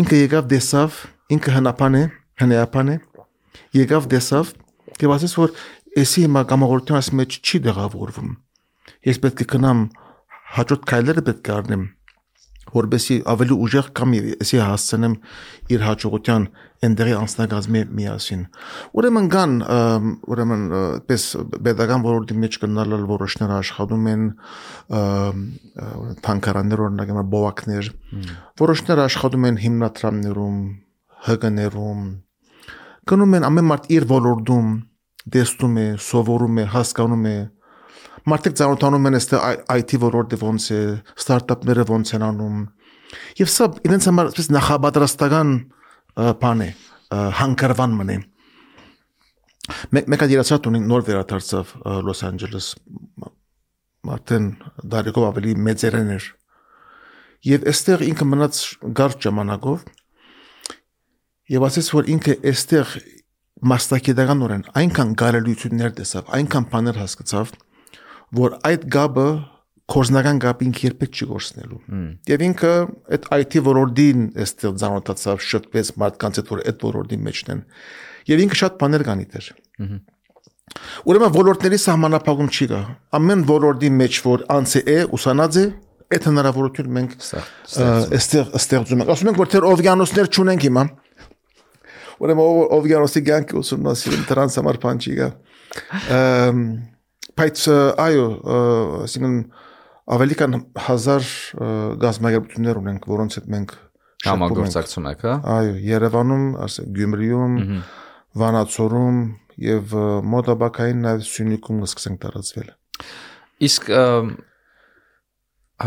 ինքը եկավ դեսավ, ինքը հնապան է, եկավ դեսավ, եւ ասես որ էսի հիմա կամավորության մեջ չի դեղավորվում։ Ես պետք է գնամ հաջորդ քայլերը պետք է առնեմ, որովհետեւ ավելի ուժեղ կամ էսի հասցնեմ իր հաջողության ընդդեղի անցնագազմի միասին։ Ուրեմն պես pedagogan ոլորտի մեջ կնալալ որոշներ աշխատում են թանգարաններ օրինակ բովակներ, որոշներ աշխատում են հիմնադրամներում, ՀԿ-ներում, գնում են ամեն մարդ իր ոլորտում դեսնում է, սովորում է, հասկանում է։ Մարդիկ ծանոթանում են IT ոլորտը ոնց է, ստարտափները ոնց են անում։ Եվ սա իրենց համար այսպես նախապատրաստական բան է, հանգրվան մնե։ Մեկ երասատ ունի նոր վերադարձավ Լոս Անջելես, արդեն դարիքով ավելի մեծերեն էր։ Եվ այստեղ ինքը մնաց կարճ ժամանակով եւ ասեց, որ ինքը այստեղ մասնակցական այնքան կարելություններ տեսավ, այնքան բաներ հասկացավ, որ այդ գաբը կորզնական գաբին երբեք չի գործնելու։ Եվ ինքը այդ IT ոլորտին այստեղ ծանոթացավ, շփվեց մարդկանց հետ, որ այդ ոլորտի մեջն են։ Եվ ինքը շատ բաներ կանիտեր։ Ուրեմն ոլորտների սահմանափակում չի կա։ Ամեն ոլորտի մեջ որ անցե է, ուսանած է, այդ հնարավորություն մենք այստեղ ստեղծում ենք։ Ասում ենք, որ թեր օվկիանոսներ չունենք հիմա։ Ուրեմն օվկիանոսի կյանքը ուսումնասիրում դրանց համար բան չի կա։ Բայց այո, ասինքն ավելի քան 1000 գազམ་ագերբություններ ունենք, որոնց հետ մենք համագործակցում ենք, հա։ Այո, Երևանում, Գյումրիում, Վանաձորում եւ մոտաբակային նաեւ Սյունիքում սկսենք տարածվել։ Իսկ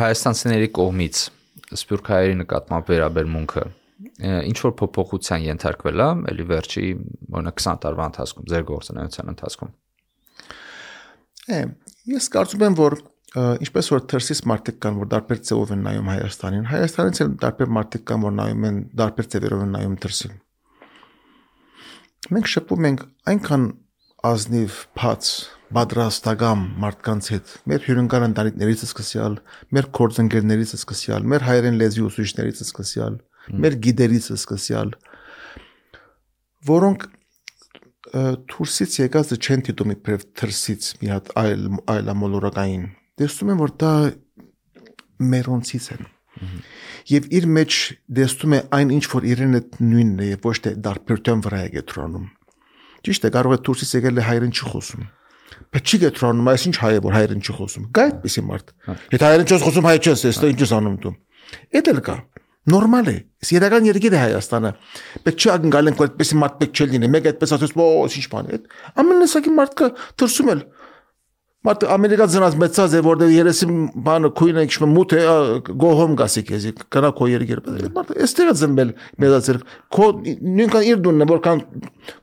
հայաստանցիների կողմից սփյուռք հայերի նկատմամբ վերաբերմունքը ինչ որ փոփոխության ենթարկվել է, ելի վերջի օրինակ 20 տարվա ընթացքում, ձեր գործունեության ընթացքում։ Ես կարծում եմ, որ ինչպես որ թերսից մարդիկ կան, որ դարբեր ձևով են նայում Հայաստանին, Հայաստանից էլ դարբեր մարդիկ կան, որ նայում են դարբեր ձևերով են նայում թերսին։ Մենք շփվում ենք այնքան ազնիվ, բաց, պատրաստական մարդկանց հետ, մեր հյուրընկալ ընտանիքներից սկսյալ, մեր գործընկերներից սկսյալ, մեր հայերեն լեզվի ուսուցիչներից սկսյալ, մեր գիդերից սկսյալ, որոնք Թուրքից եկած չեն դիտում իբրև թրսից մի հատ այլ ամոլորակային։ Տեսնում են, որ դա մերոնցից են։ Եվ իր մեջ տեսնում է այն ինչ որ իրեն այդ նույնն է, ոչ թե դարբերության վրա է գետրանում։ Ճիշտ է, կարող է Թուրքից եկել է հայերեն չի խոսում։ Բայց չի գետրանում, այս ինչ հայ է, որ հայերեն չի խոսում։ Գա այդպեսի մարդ։ Եթե հայերեն չես խոսում, հայ չես, այստեղ ինչ ես անում դու։ Էդ էլ կա։ Նորմալ է։ Սիրական երկիր է Հայաստանը։ Պետք չի ակնկալենք, որ այդպես մարդ պետք չի լինի։ Մեկ այդպես ասես, «Ո, ինչ բան է»։ Ամեն տեսակի մարդը դրսում էլ Մարդ Ամերիկա ծնած մեծած է, որտեղ երեսի բանը քույնը իշխում մութ է, գոհոմ գասի քեզի, կնա քո երկիր։ Մարդը էստեղ է ծնվել մեծացել, քո նույնքան իր դունն է, որքան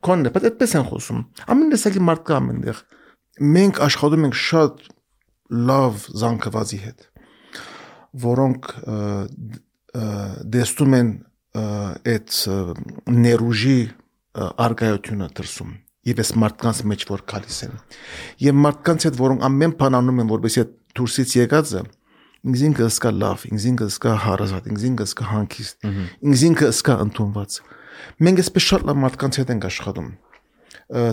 քոնն է, բայց այդպես են խոսում։ Ամեն տեսակի մարդ կա ամենտեղ։ Մենք աշխատում ենք շատ լավ զանգվածի հետ, որոնք դեստում են այդ ներուժի արգայությունը դրսում։ Եվ այս մարդկանց մեջ որ գալիս են։ Եվ մարդկանց հետ որոնք ամեն բան անում են, որովհետեւ այդ դուրսից եկածը ինքնին կսկա լավ, ինքնին կսկա հարազատ, ինքնին կսկա հանգիստ, ինքնին կսկա ընդունված։ Մենք այսպես շատ լավ մարդկանց հետ ենք աշխատում։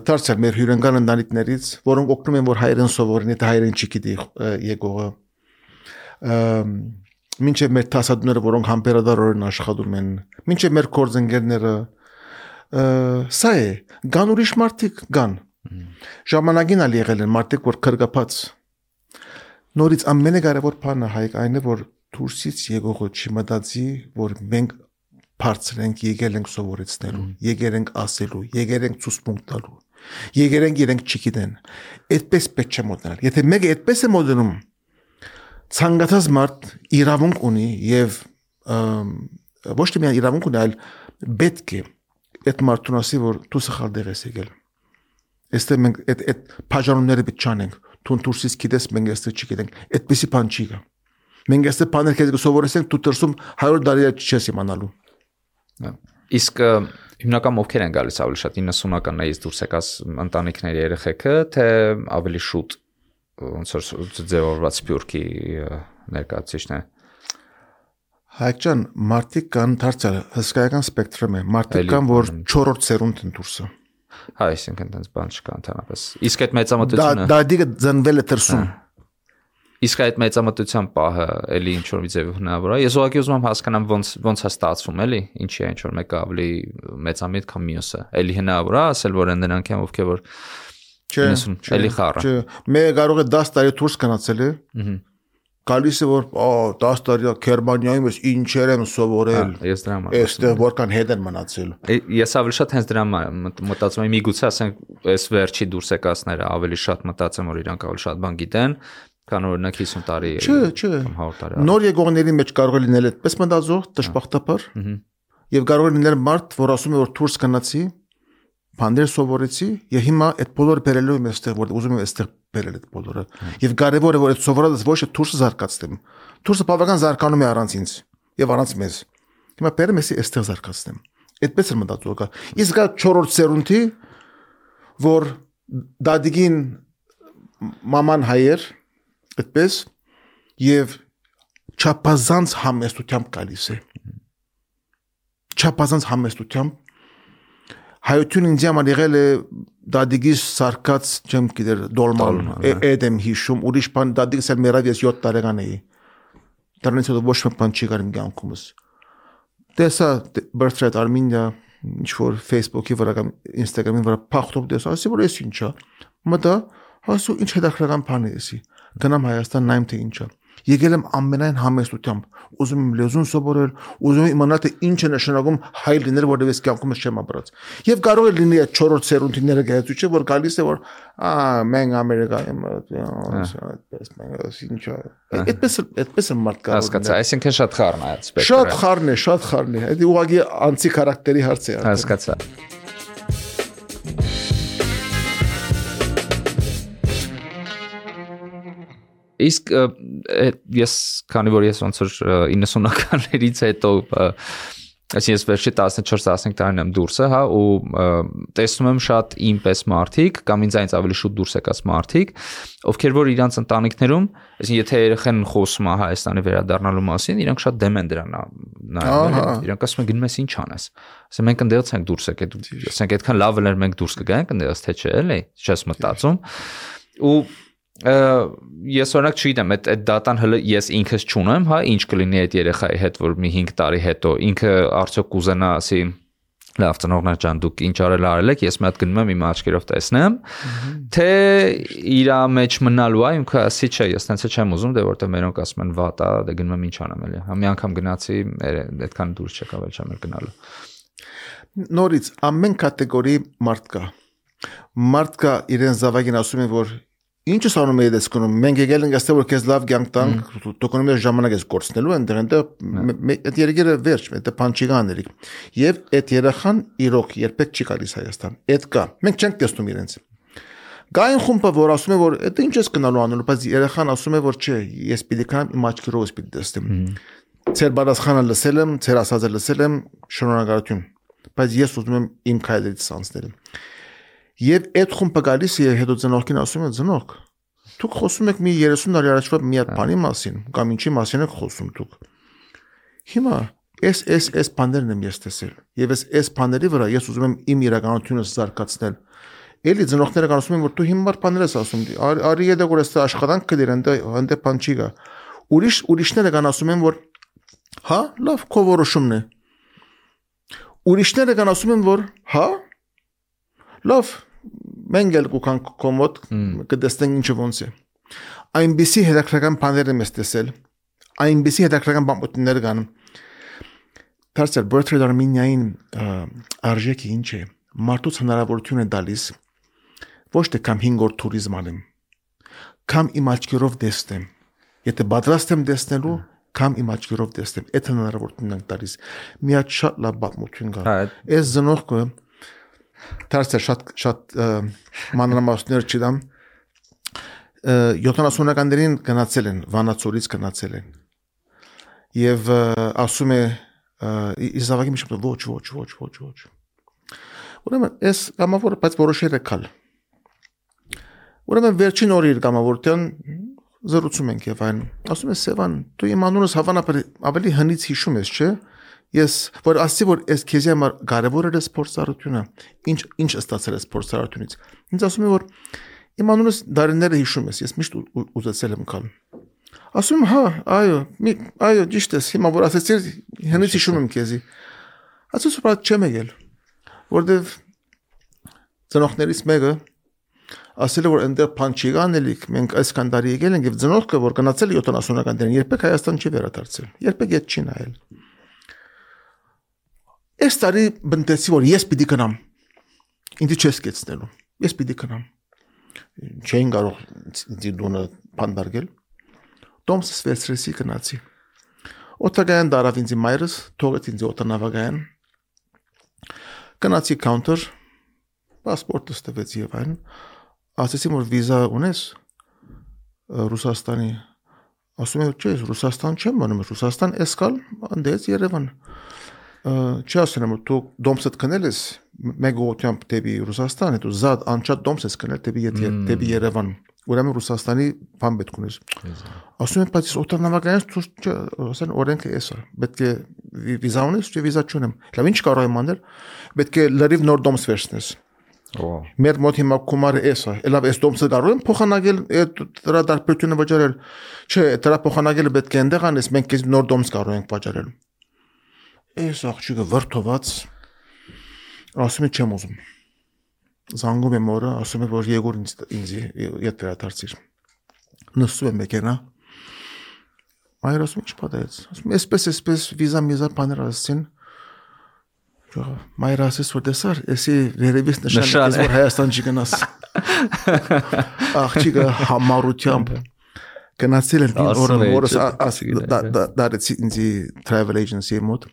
Դարձյալ մեր հյուրընկալ ընտանիքներից, որոնք օգնում են որ հայերեն սովորեն, եթե հայերեն չգիտի եկողը։ Մինչև մեր տասադները, որոնք համբերադարորեն աշխատում են, մինչև մեր կորձընկերները սա է, գան ուրիշ մարդիկ գան, ժամանակին ալ եղել են մարդիկ, որ կրկապած, նորից ամենակարևոր բանը հայք այն է, որ դուրսից եկողը չմտածի, որ մենք բարձր ենք, եկել ենք սովորեցնելու, եկել ենք ասելու, եկել ենք ցուցմունք տալու, եկել ենք իրենք չգիտեն, այդպես պետք չէ մոդնել, եթե մեկը այդպես է մոդնում, ցանկացած մարդ իրավունք ունի եւ ոչ թե միայն իրավունք ունի, այլ պետք է այդ մարդուն ասի, որ դու սխալ դեր ես եկել։ Այստեղ մենք այդ բաժանումները պետք չանենք, դու դուրսից գիտես, մենք այստեղ չգիտենք, այդպեսի բան չի գա։ Մենք այստեղ բաներ քեզ կսովորեցնենք, դու դրսում 100 տարի չես իմանալու։ Իսկ հիմնական ովքեր են գալիս ավելի շատ 90-ականներից դուրս եկած ընտանիքների երեխեքը, թե ավելի շուտ ոնց որ ձևավորված սփյուռքի ներկայացուցիչն է։ Հայկ ջան, մարդիկ կան դարձյալ հսկայական սպեկտրում է, մարդիկ կան, որ 4-րդ սերունդ են դուրսը։ Հա, այսինքն այնպես բան չկա ընդհանրապես։ Իսկ այդ մեծամտությունը Դադիգը ծնվել է դրսում։ Իսկ այդ մեծամտության պահը էլի ինչ որ մի ձև հնարավոր է։ Ես ուղղակի ուզում եմ հասկանամ ոնց է ստացվում, էլի, ինչի է ինչ որ մեկը ավելի մեծամիտ քան մյուսը։ Էլի հնարավոր է ասել, որ նրանք են ովքեր որ էլի խառը։ Չէ, մեկը կարող է 10 տարի դուրս գնացել է։ Գալիս է որ 10 տարի Գերմանիայում ես ինչեր եմ սովորել։ Ես դրա համար։ Այստեղ որքան հետ են մնացել։ Ես ավելի շատ հենց դրա մտածում եմ, միգուցե ասենք այս վերջի դուրս եկածները ավելի շատ մտածեմ, որ իրանք ավելի շատ բան գիտեն, քան օրինակ 50 տարի կամ 100 տարի։ Նոր եկողների մեջ կարող է լինել այդպես մտածող, դժբախտաբար։ Եվ կարող է լինել մարդ, որ ասում է որ դուրս գնացի, բաներ սովորեցի, եւ հիմա այդ բոլորը բերելու եմ այստեղ, որ ուզում եմ այստեղ բերել այդ բոլորը։ Եվ կարևորը որ այդ սովորածը ոչ թե դուրսը զարգացնեմ։ Դուրսը բավական զարգանում է առանց ինձ եւ առանց մեզ։ Հիմա բերեմ էսի այստեղ զարգացնեմ։ Այդպես է մտածողը։ Իսկ 4-րդ սերունդի, որ դադիգին մաման հայեր, այդպես եւ չափազանց համեստությամբ գալիս է։ Չափազանց համեստությամբ հայությունը ինձ համար եղել է դադիգիս սարկած չեմ գիտեր դոլման էդեմ հիշում ուրիշ բան դադիգս էլ մերավ ես 7 տարեկան էի դրանից հետո ոչ մի բան չի կարիմ կյանքումս տեսա Birthright Armenia ինչ որ Facebook-ի վրա կամ Instagram-ի վրա փախտով տեսա ասի որ էս ինչա մտա ասու ինչ հետաքրքրական բան է էսի գնամ Հայաստան նայեմ թե ինչա եկել եմ ամենայն համեստությամբ ուզում եմ լեզուն սովորել ուզում եմ իմանալ թե ինչ է նշանակում հայ լինել որովհետև ես կյանքումս չեմ ապրած եւ կարող է լինի այդ 4-րդ սերունդիները գայացուցիչ որ գալիս է որ մենք Ամերիկայում այդպես մենք ինչա այդպես է մարդ կարող հասկացա այսինքն շատ խառն է այդ սպեկտրը շատ խառն է դա ուղղակի անցի քարակտերի հարց է հասկացա Իսկ ես քանի որ ես ոնց որ 90-ականներից հետո այսինքն ես վերջի 14-15 տարին եմ դուրսը, հա, ու տեսնում եմ շատ ինպես մարդիկ կամ ինձանից ավելի շուտ դուրս եկած մարդիկ, ովքեր որ իրանց ընտանիքներում, այսինքն եթե երեխեն խոսում է Հայաստանի վերադառնալու մասին, իրանք շատ դեմ են դրան նայում, իրանք ասում են գնում ես ինչ անես։ Ասում մենք ընդեղից ենք դուրս եկել, ասենք այդքան լավ էր մենք դուրս կգանք ընդեղից թե չէ, էլի, չես մտածում։ Ու ես օրինակ չգիտեմ, այդ դատան հələ ես ինքս չունեմ, հա, ինչ կլինի այդ երեխայի հետ, որ մի 5 տարի հետո ինքը արդյոք կուզենա ասի Լավ, ծնողներ ջան, դուք ինչ արել եք, ես մի հատ գնում եմ իմ աչքերով տեսնեմ, թե իր մեջ մնալու է, ինքը ասի չէ, ես տենց չեմ ուզում, դե որտեղ մերոնք ասում են վատ է, դե գնում եմ ինչ անեմ էլի։ Մի անգամ գնացի, այդքան դուրս չեկավ, էլ չեմ գնալու։ Նորից ամեն կատեգորի մարդ կա։ Մարդ կա իրեն զավակին ասում է, որ ինչ ես անում ես դեսկոնում, մենք եկել ենք այստեղ որ քեզ լավ կյանք տանք, դու կոնում ես ժամանակ ես կորցնելու, այնտեղ այդ երեգերը վերջ, այդ փանչիգաների։ Եվ այդ երախան իրոք երբեք չի գալիս Հայաստան։ Այդ կա։ Մենք չենք տեսնում իրենց։ Գային խումբը որ ասում է որ այդ ինչ ես գնալու անելու, բայց երախան ասում է որ չէ, ես պիտի կանամ իմ աչքերով ես պիտի տեսնեմ։ Ձեր բարասխանը լսել եմ, ձեր ասածը լսել եմ, շնորհակալություն։ Բայց ես ուզում եմ իմ քայլերից անցնել։ Եվ այդ խումբը գալիս է հետո ծնողքին ասում է ծնող դուք խոսում եք մի 30 տարի առաջվա մի հատ բանի մասին կամ ինչի մասին եք խոսում դուք հիմա այս բաներն եմ ես տեսել եւ այս բաների վրա ես ուզում եմ իմ իրականությունը զարգացնել էլի ծնողները ասում են որ դու հիմա բաներ ես ասում արի եթե որ այս աշխատանք կդիր այնտեղ բան չի գա ուրիշները կան ասում են որ հա լավ քո որոշումն է ուրիշները կան ասում են որ հա լավ մենք էլ կուքան կոմոդ կդեսնենք ինչը ոնց է այնպիսի հետաքրքրական բաներ եմ տեսել այնպիսի հետաքրքրական բանություններ կան դարձյալ Bertrand Arminian արժեքի ինչ է մարդուց հնարավորություն է տալիս ոչ թե կամ 5 օր туриզմ անեմ կամ իմ աչքերով տեսնեմ եթե պատրաստ եմ տեսնելու կամ իմ աչքերով տեսնեմ այդ հնարավորությունն եմ տալիս մի հատ շատ լավ բանություն կա այս զնողքը Դարձյալ շատ մանրամասներ չդամ 70-ականներին գնացել են Վանաձորից գնացել են եւ ասում է իզավակի միջը ոչ ուրեմն այս կամավորը բայց որոշել է կալ ուրեմն վերջին օրը իր կամավորտյան զրուցում ենք եւ այն ասում է Սևան դու իմ անունս հավանաբար ավելի հնից հիշում ես չէ Ես որ ասի որ այս քեզի համար կարևոր է սպորտարությունը ինչ ստացել է սպորտարությունից ինձ ասում է որ իմ անունս դարիները հիշում ես ես միշտ ուզեցել եմ կալ ասում հա այո ճիշտ է հիմա որ ասեցիր հենց հիշում եմ քեզի ասես որ չեմ եկել որտեվ ծնողներից մեկը ասել է որ այնտեղ բան չի գանելիք մենք այսքան տարի եկել ենք եւ ծնողքը որ գնացել 70-ականներին երբեք Հայաստան չի վերադարձել երբեք իդ չի նայել Այս տարի բնտեցի որ ես պիտի գնամ ինձ չես կեցնելու ես պիտի գնամ չեն կարող ինձ դոնը փանդարգել դոմսս վերցրեցի գնացի օտագան դարավ ինձ մայրս թողեց ինձ օտանավագան գնացի counter պասպորտս տվեցի եւ այն ասեցի որ վիզա ունես Ռուսաստանի ասում եմ չէ Ռուսաստան չեմ մնում Ռուսաստան էսկալ անդեց Երևան Չի ասում որ դու դոմսդ կնել ես մեկ օտյամբ դեպի Ռուսաստան հետո զատ անչափ դոմս ես կնել դեպի Երևան ուրեմն Ռուսաստանի բան պետք ունես ասում եմ բայց օտանավականից ասեն օրենքը էսա պետք է վիզա ունես չէ վիզա չունեմ լավ ինչ կարող եմ անել պետք է լրիվ նոր դոմս վերցնես մեր մոտ հիմա կոմարը էսա լավ այս դոմսը կարող եմ փոխանակել դրա դարբերությունը վճարել չէ դրա փոխանակելը պետք է այնտեղ անես մենք քեզ նոր դոմս կարող ենք վճարել Այս աղջիկը վրթոված ասում է չեմ ուզում զանգում եմ օրը ասում է որ Եգոր ինձ իդ վերադարձիր նստում եմ մեքենա այր ասում ինչ պատահեց ասում էսպես վիզա բաներ ասեցին մայր ասես որ դեսար էսի վերևից նշան որ Հայաստան չի գնաս աղջիկը համառությամբ Գնացել են օրը դարեցի ինձ travel agency մոտ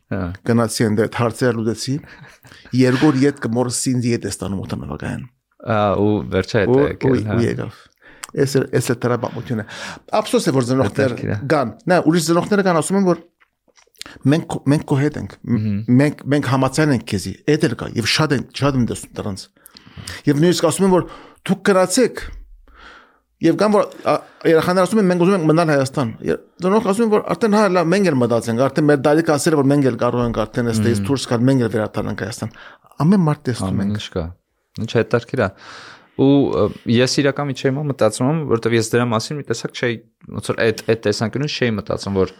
գնացի ընդ հարցեր լուծեցի երկու ետ կմորսի ինձ ետ ստանում օտանավական ու վերջը հետ ու եկավ էս է տրաբամությունը ափսոս է որ ծնողներ կան նա ուրիշ ծնողները կան ասում են որ մենք կոհետ ենք մենք համացան ենք քեզի էդ էլ կա եւ շատ եմ տեսնում դրանց եւ նույնիսկ ասում են որ դուք գրացեք Եվ կամ որ երախաները ասում են մենք ուզում ենք մնալ Հայաստան։ Դրանք ասում են որ արդեն հա լավ մենք էլ մտածենք, արդեն մեր դալիքը ասել որ մենք էլ կարող ենք արդեն այստեղից դուրս գալ, մենք էլ վերադառնանք Հայաստան։ Ամեն մարդ տեսնում ենք։ Ինչ կա։ Ինչ հետաքրքիր է։ Ու ես իրականում չէի մտածում, որովհետև ես դրա մասին մի տեսակ չէի, ոնց որ այդ տեսանկյունից չէի մտածում, որ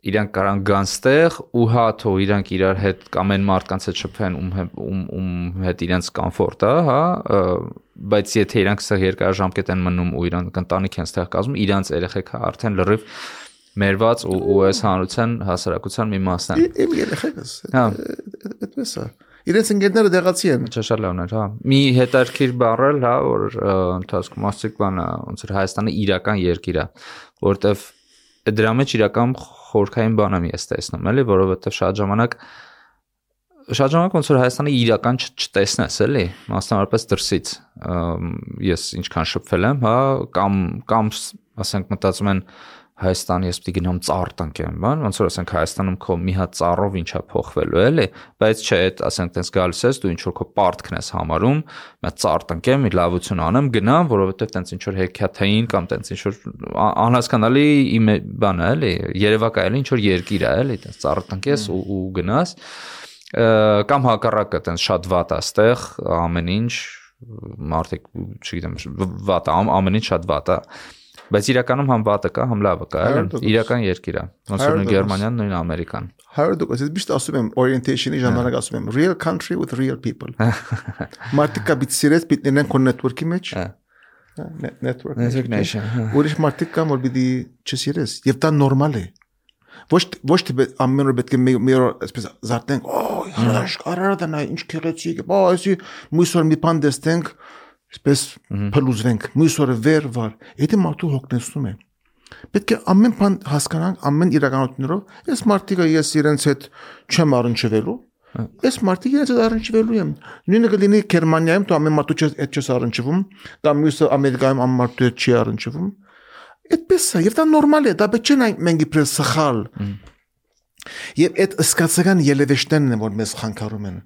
իրանք կարան գան ստեղ ու հա թող իրանք իրար հետ կամ այն մարդկանց հետ շփվեն ում հետ իրենց կոմֆորտ է, հա, բայց եթե իրանք ստեղ երկարաժամկետ են մնում ու իրանք ընտանիք են ստեղ կազմում, իրանք երեխեքը արդեն լրիվ մերված ու այս հանրության հասարակության մի մասն են։ Իմ երեխեքս։ Հա, այդպես է։ Իրենց ընկերները դեղացի են։ Շատ լավն էր, հա։ Մի հետարքիր բառել, հա, որ ընթացքում ասիկ բանը, ոնց որ Հայաստանը իրական երկիր է, որտեվ դրա մեջ իրական խորքային բան եմ ես տեսնում, էլի, որովհետև շատ ժամանակ ոնց որ Հայաստանը իրական չտեսնես, էլի, մասնավորապես դրսից։ Ես ինչքան շփվել եմ, հա, կամ ասենք մտածում են Հայաստան ես պիտի գնամ ծառ տնկեմ, բան, ոնց որ ասենք Հայաստանում քո մի հատ ծառով ինչա փոխվելու, էլի, բայց չէ, այդ ասենք տես գալիս ես, դու ինչ որ քո պարտքն ես համարում, մի ծառ տնկեմ, մի լավություն անեմ, գնամ, որովհետև տենց ինչ որ հեքիաթային կամ տենց ինչ որ անհասկանալի իմ բան է, էլի, երևակայելի ինչ որ երկիր է, էլի, տենց ծառ տնկես ու գնաս, կամ հակառակը տենց շատ վատ է ստեղ, ամեն ինչ մարդիկ, չգիտեմ, վատ է, ամեն ինչ շատ վատ է։ Բայց իրականում համ վատը կա, համ լավը կա, իրական երկիր է։ Ոնց որ Գերմանիան, նույն Ամերիկան։ 100%, ես միշտ ասում եմ orientation-ի ժամանակ ասում եմ real country with real people։ Մարդիկ կա պիտի սիրես, պիտի լինեն քո network-ի մեջ։ Network nation։ Ուրիշ մարդիկ կան, որ պիտի չսիրես, եւ դա նորմալ է։ Ոչ թե ամեն օր պետք է մի օր այսպես զարթենք, հրաշ, արարը նա ինչ քեղեցիկ, այսի մույսոր մի բան դեսնենք, այսպես փլուզվենք, մույսորը վեր, եթե մարդու հոգնեցնում է։ Պետք է ամեն բան հասկանանք, ամեն իրականություններով, այս մարդիկը ես իրենց հետ չեմ առնչվելու, այս մարդիկը իրենց հետ առնչվելու եմ։ Նույնը կլինի Գերմանիայում, դու ամեն մարդու հետ չես առնչվում, կամ մյուսը Ամերիկայում ամեն մարդու հետ չի առնչվում։ Այդպես է, եւ դա նորմալ է, դա պետք չէ մենք իբրև սխալ։ Եվ այդ սկացական ելևեշներն են, որ մեզ խանգարում են։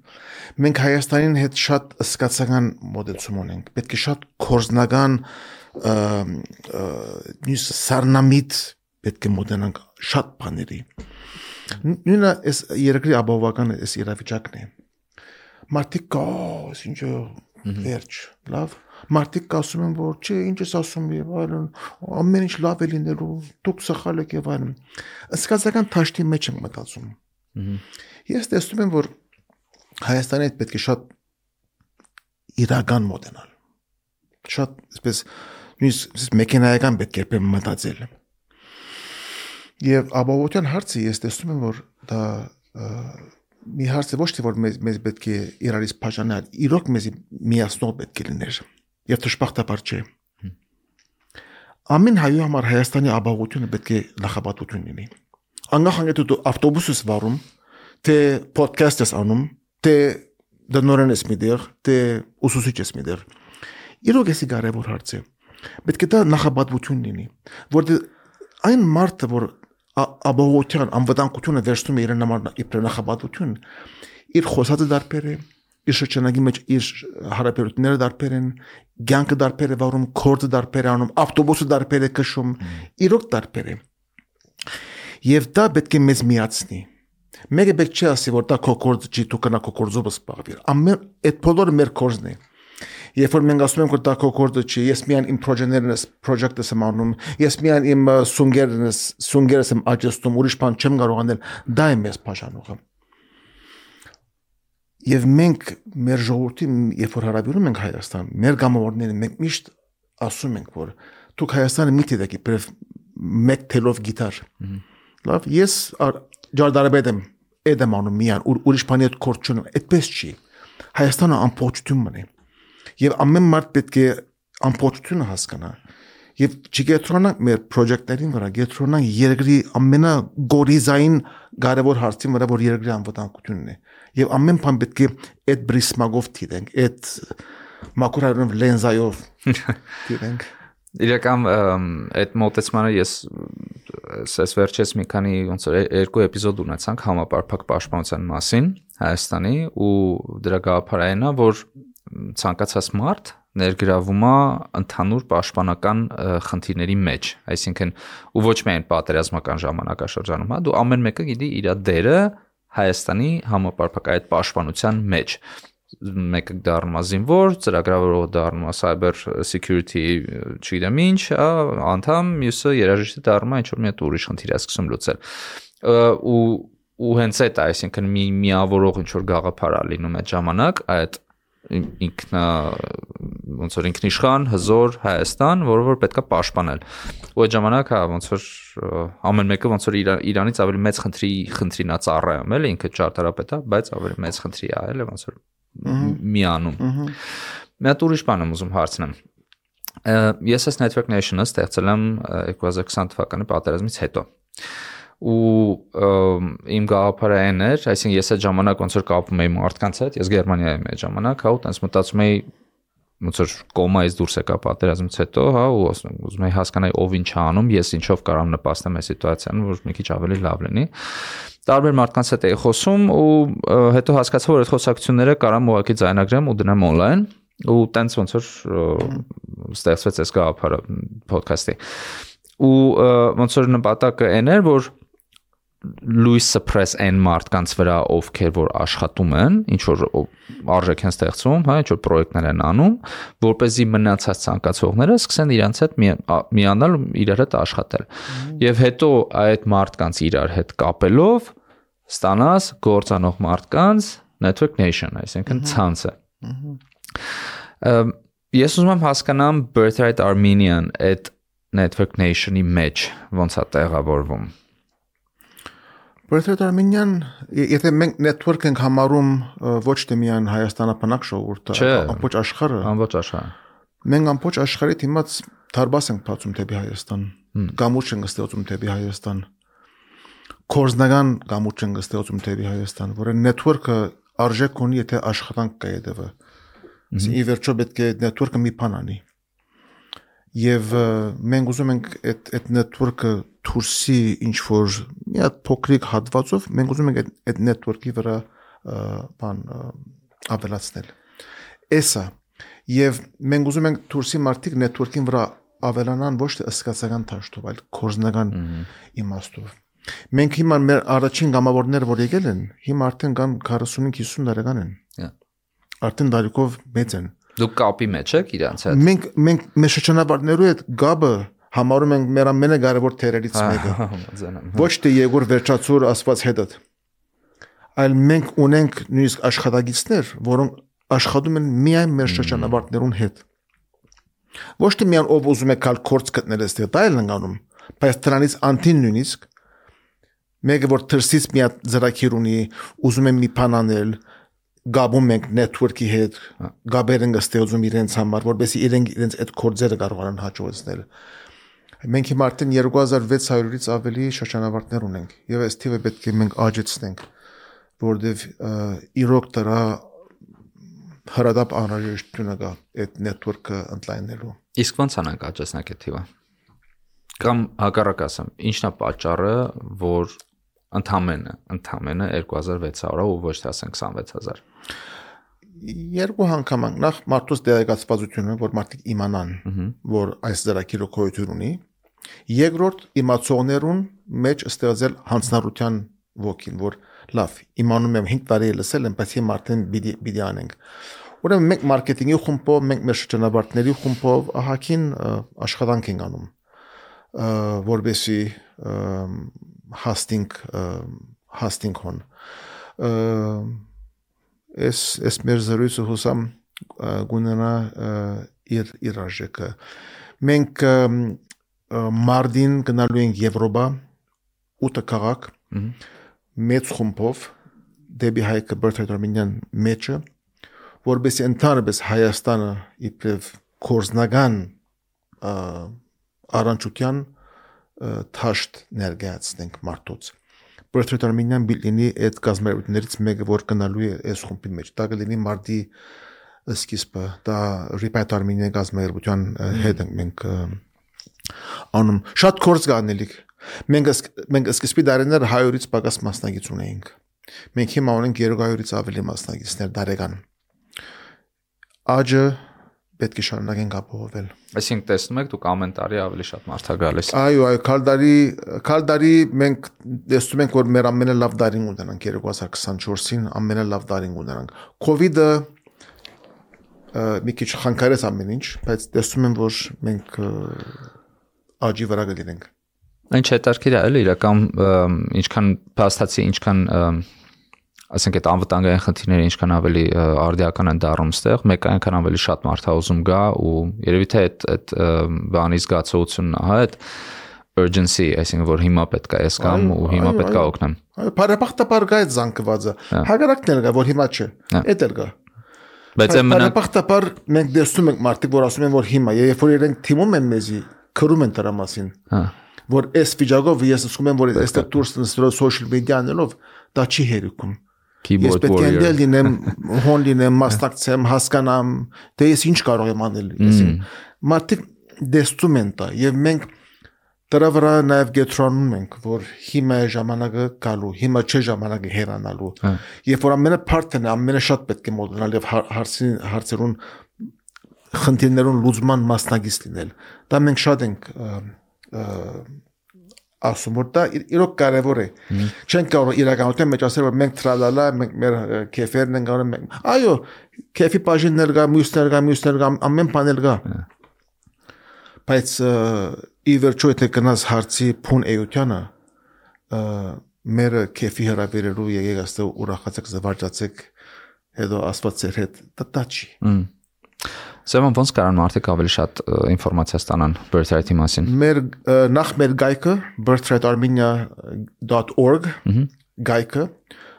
Մենք Հայաստանին հետ շատ սկացական մոդեցում ունենք։ Պետք է շատ կորզնական նույնս սառնամիտ պետք է մոդենանք շատ բաների։ Նույնը այս երկրի ապահովական այս իրավիճակն է։ Մարդիկ կա, ինչ վերջ, լավ։ Մարդիկ ասում են, որ չէ, ինչ ես ասում եւ այլն, ամեն ինչ լավ է լինելու, դուք սխալ եք եւ այլն։ Սկացական թաշտի մեջ եմ մտածում։ Ես տեսնում եմ, որ Հայաստանի հետ պետք է շատ իրական մոդենալ։ Շատ այսպես նույնիսկ մեքենայական պետք է մտածել։ Եվ ապահովության հարցը ես տեսնում եմ, որ դա մի հարց է ոչ թե որ մեզ պետք է իրարից բաժանել, իրոք մեզ միացնող պետք է լիներ։ Եվ դժբախտաբար չէ։ Ամեն հայու համար Հայաստանի ապահովությունը պետք է նախապատվություն լինի։ Անգախանգետ դու ավտոբուս ես վարում, թե podcast ես անում, թե դնորեն ես միտեղ, թե ուսուցիչ ես միտեղ։ Իրոք էսի կարևոր հարց է։ Պետք է դա նախապատվություն լինի, որտեղ այն մարդը, որ ապահովության անվտանգությունը վերցնում է իրեն համար իբր նախապատվություն, իր խոսածը դարբեր է, իր շրջանագի մեջ իր հարաբերությունները դարբեր են, կյանքը դարբեր է վարում, քորդը դարբեր է անում, ավտոբուսը դարբեր է քշում, իրոք դարբեր է։ Եվ դա պետք է մեզ միացնի։ Մեկը պետք չի ասի, որ դա քո քորդը չի, դու կնա քո քորդով սպառվիր։ Ամեն այդ բոլորը մեր քորդն է։ Երբ որ մենք ասում ենք, որ դա քո քորդը չի, ես միայն իմ project-ս եմ անում, ես միայն իմ սունգերս եմ աճեցնում, ուրիշ բան չեմ կարող անել, դա է մեզ բաժանողը։ Եվ մենք մեր ժողովրդին, երբ որ հարաբերում ենք Հայաստան, մեր գամավորներին մենք միշտ ասում ենք, որ դուք Հայաստանը մի դեք իբրև մեկ թելով գիտար։ Լավ, ես ջարդարաբեդ եմ անում միան, ուրիշ բանի հետ կորդ չունեմ, այդպես չի։ Հայաստանը ամբողջություն է։ Եվ ամեն մարդ պետք է ամբողջությունը հասկանա։ Եվ չգետրոնանք մեր project-ներին վրա, գետրոնանք երկրի ամենագորիզային կարևոր հարցին վրա, որ երկրի անվտանգությունն է։ Եվ ամեն բան պետք է այդ բրիսմագով դիտենք, այդ մակրոյով լենզայով դիտենք։ Իրական այդ մոտեցմանը ես վերջերս մի քանի ոնց որ երկու էպիզոդ ունեցանք համապարփակ պաշտպանության մասին Հայաստանի ու դրա գաղափարն է, որ ցանկացած մարդ ներգրավում է ընդհանուր պաշտպանական խնդիրների մեջ, այսինքն ու ոչ միայն պատերազմական ժամանակաշրջանում, հա, դու ամեն մեկը գիտի իր դերը Հայաստանի համապարփակ այդ պաշտպանության մեջ։ Մեկը դառնում է զինվոր, ծրագրավորողը դառնում է cyber security, չգիտեմ ինչ, անդամ, մյուսը երաժիշտը դառնում է ինչ որ մի հատ ուրիշ խնդիր է սկսում լուծել։ ու հենց այդ է, այսինքն մի միավորող ինչ որ գաղափար է լինում այդ ժամանակ, այդ ինքնա ոնց որ ինքնիշխան հզոր Հայաստան, որը որ պետքա պաշտպանել։ Ու այդ ժամանակ հա ոնց որ ամեն մեկը ոնց որ Իրանից ավելի մեծ խնդրին է ծառայում, էլի ինքը ճարտարապետ է, բայց ավելի մեծ խնդրի է, էլի ոնց որ միանում։ Մի հատ ուրիշ բան եմ ուզում հարցնեմ։ Ես այս Network Nation-ը ստեղծել եմ 2020 թվականի պատերազմից հետո։ Ու իմ գաղափարը այն էր, այսինքն ես այդ ժամանակ ոնց որ կապում էի մարդկանց հետ, ես Գերմանիայի եմ այդ ժամանակ, հա, ու տենց մտածում էի ոնց որ կոմայից դուրս եկա պատերազմից հետո, հա, ու ուզում էի հասկանալ ով ինչ է անում, ես ինչով կարամ նպաստեմ այս սիտուացիան, որ մի քիչ ավելի լավ լինի։ Տարբեր մարդկանց հետ էի խոսում ու հետո հասկացա, որ այդ խոսակցությունները կարամ ուղղակի ձայնագրեմ ու դնեմ on-line ու տենց ոնց որ ստեղծվեց այս գաղափարը podcast-ի։ Ու ոնց որ նպատակը այն էր, որ լույս սփռես այն մարդկանց վրա, ովքեր որ աշխատում են, ինչ որ արժեք են ստեղծում, հա, ինչ որ պրոյեկտներ են անում, որպեսզի մնացած ցանկացողները սկսեն իրancs հետ միանալ ու իրար հետ աշխատել։ Եվ հետո այդ մարդկանց իրար հետ կապելով ստանաս գործանող մարդկանց Network Nation, այսինքն ցանցը։ Ես ուզում եմ հասկանամ Birthright Armenian այդ Network Nation-ի մեջ ոնց է տեղավորվում։ Birthright Armenian, եթե մենք network ենք համարում ոչ թե միայն Հայաստանապնակ ժողովուրդը, ամբողջ աշխարհը։ Ամբողջ աշխարհը։ Մենք ամբողջ աշխարհի դիմաց դարբաս ենք բացում դեպի Հայաստան։ Գամուրջը ենք ստեղծում դեպի Հայաստան։ Կորզնական գամուրջը ենք ստեղծում դեպի Հայաստան, որը network-ը արժեք ունի, եթե աշխատանք կա հետևը։ Ի վերջո պետք է network-ը մի բան անի։ Եվ մենք ուզում ենք այդ network-ը դուրսի ինչ որ մի հատ փոքրիկ հատվածով մենք ուզում ենք այդ network-ի վրա բան ավելացնել։ Էսա եւ մենք ուզում ենք դուրսի մարդիկ network-ին վրա ավելանան ոչ թե ըսկացական դաշտով, այլ կորզնական իմաստով։ Մենք հիմա մեր առաջին գամավորները որ եկել են, հիմա արդեն կան 45-50 տարեկան են։ Արդեն դարիքով մեծ են։ Դուք կապի մեջ եք իրանց հետ։ Մենք մեր շրջանավարտներու հետ գաբը համարում ենք մեր ամենակարևոր թերերից մեկը։ Ոչ թե Եգոր Վերջացուր ասված հետը, այլ մենք ունենք նույնիսկ աշխատագիցներ, որոնք աշխատում են միայն մեր շրջանավարտներուն հետ։ Ոչ թե միայն ով ուզում է կալ կորց գտնել այստեղ, դա էլ ընկանում, բայց դրանից անտին նույնիսկ մեկը որ թրսից մի հատ ծրագիր ունի, ուզում է մի բան անել, գաբում ենք network-ի հետ, գաբեր ենք ստեղծում իրենց համար, որովհետեւ իրենց այդ կորձերը կարողանան հաջողեցնել։ Մենք հիմա արդեն 2600-ից ավելի շրջանավարտներ ունենք, եւ այս թիվը պետք է մենք աճեցնենք, որովհետեւ իրոք դրա հրադապ անհրաժեշտությունը կա այդ network-ը ընդլայնելու։ Իսկ ո՞նց անանք աճեցնենք այդ թիվը։ Կամ հակառակ ասեմ, ի՞նչն է պատճառը, որ ընդամենը 2600 ու ոչ թե ասենք 26000։ Երկու անգամ նախ մարդուց դերակացվածությունը, որ մարդիկ իմանան, որ այս ծրագիրը գոյություն ունի, երկրորդ իմացողներուն մեջ ստեղծել հանձնառության ոգին, որ լավ, իմանում եմ 5 տարի լսել եմ, բայց հիմա արդեն պիտի անենք։ Ուրեմն մենք մարքեթինգի խումբով, մենք մեր շրջանավարտների խումբով ահագին աշխատանք ենք անում, որովհետեւ հաստինք հոն Ես մեր զրույցը հուսամ գունենա իր արժեքը։ Մենք մարտին գնալու ենք Եվրոպա 8 քաղաք մեծ խումբով դեպի հայկը Birthright Armenian մեջը, որովհետեւ ընդհանրապես Հայաստանը իբրև կորզնական առանցության թաշտ ներկայացնենք մարդոց։ Birthright Armenian բիլինի այդ գազམ་երություններից մեկը որ գնալու է այս խումբի մեջ։ Դա կլինի մարտի սկիզբը, դա Birthright Armenian գազམ་երության հետ ենք անում։ Շատ կորձ կանելիք։ Մենք սկզբի դարերներ 100-ից պակաս մասնագետ ունեինք։ Մենք հիմա ունենք 200-ից ավելի մասնագետներ դարեկան։ Աջը պետք է շարունակենք ապահովել։ Այսինքն տեսնում եք դուք ամեն տարի ավելի շատ մարդ է գալիս։ Այո, քալդարի մենք տեսնում ենք որ մեր ամենալավ դարին ունենանք 2024-ին ամենալավ դարին ունենանք։ Կովիդը մի քիչ խանգարեց ամեն ինչ, բայց տեսնում եմ որ մենք աջի վրա գտնենք։ Ինչ հետաքրքիր է, էլի իրական ինչքան փաստացի, ինչքան ասենք այդ անվտանգային խնդիրները ինչքան ավելի արդիական են դառնում ստեղ, մեկ այնքան ավելի շատ մարդ է ուզում գա ու երևի թե այդ բանի զգացողությունն է, հա, այդ urgency, այսինքն որ հիմա պետք է ես կամ ու հիմա պետք է օգնեմ։ Բարեբախտաբար գա այդ զանգվածը։ Հակառակն էլ գա, որ հիմա չէ։ Էդ էլ գա։ Բայց բարեբախտաբար մենք դեսում ենք մարդիկ, որ ասում են, որ հիմա, երբ որ իրենք թիմում են մեզի, քրում են դրա մասին։ Որ այս վիճակով ես ասում եմ, որ այստեղ դուրս նստելով social media-անելով դա չի հերիքում։ Ես պետք է լինեմ, հոն լինեմ, մասնակցեմ, հասկանամ, թե ես ինչ կարող եմ անել։ Մարդիկ դեսում են դա եւ մենք դրա վրա նաեւ գետրոնում ենք, որ հիմա է ժամանակը գալու, հիմա չէ ժամանակը հեռանալու։ Երբ որ ամենը փարթն է, ամենը շատ պետք է մոդելալ եւ հարցերուն խնդիրներուն լուծման մասնագետ լինել։ Դա մենք շատ ենք ասում որ դա իրոք կարևոր է։ Չենք կարող իրականության մեջ ասել որ մենք տրալալա, մենք մեր քեֆերն ենք անում։ Այո, քեֆի բաժիններ կա, մյուսներ կա, ամեն բան էլ կա։ Բայց ի վերջո եթե գնաս հարցի փուն էությանը, մեր քեֆի հրավերելու եկեք աստեղ ուրախացեք, զվարճացեք, հետո աստված ձեր հետ, դա չի։ Սեման ոնց կարան մարդիկ ավելի շատ ինֆորմացիա ստանան Birthright-ի մասին։ Նախ մեր գայքը birthrightarmenia.org գայքը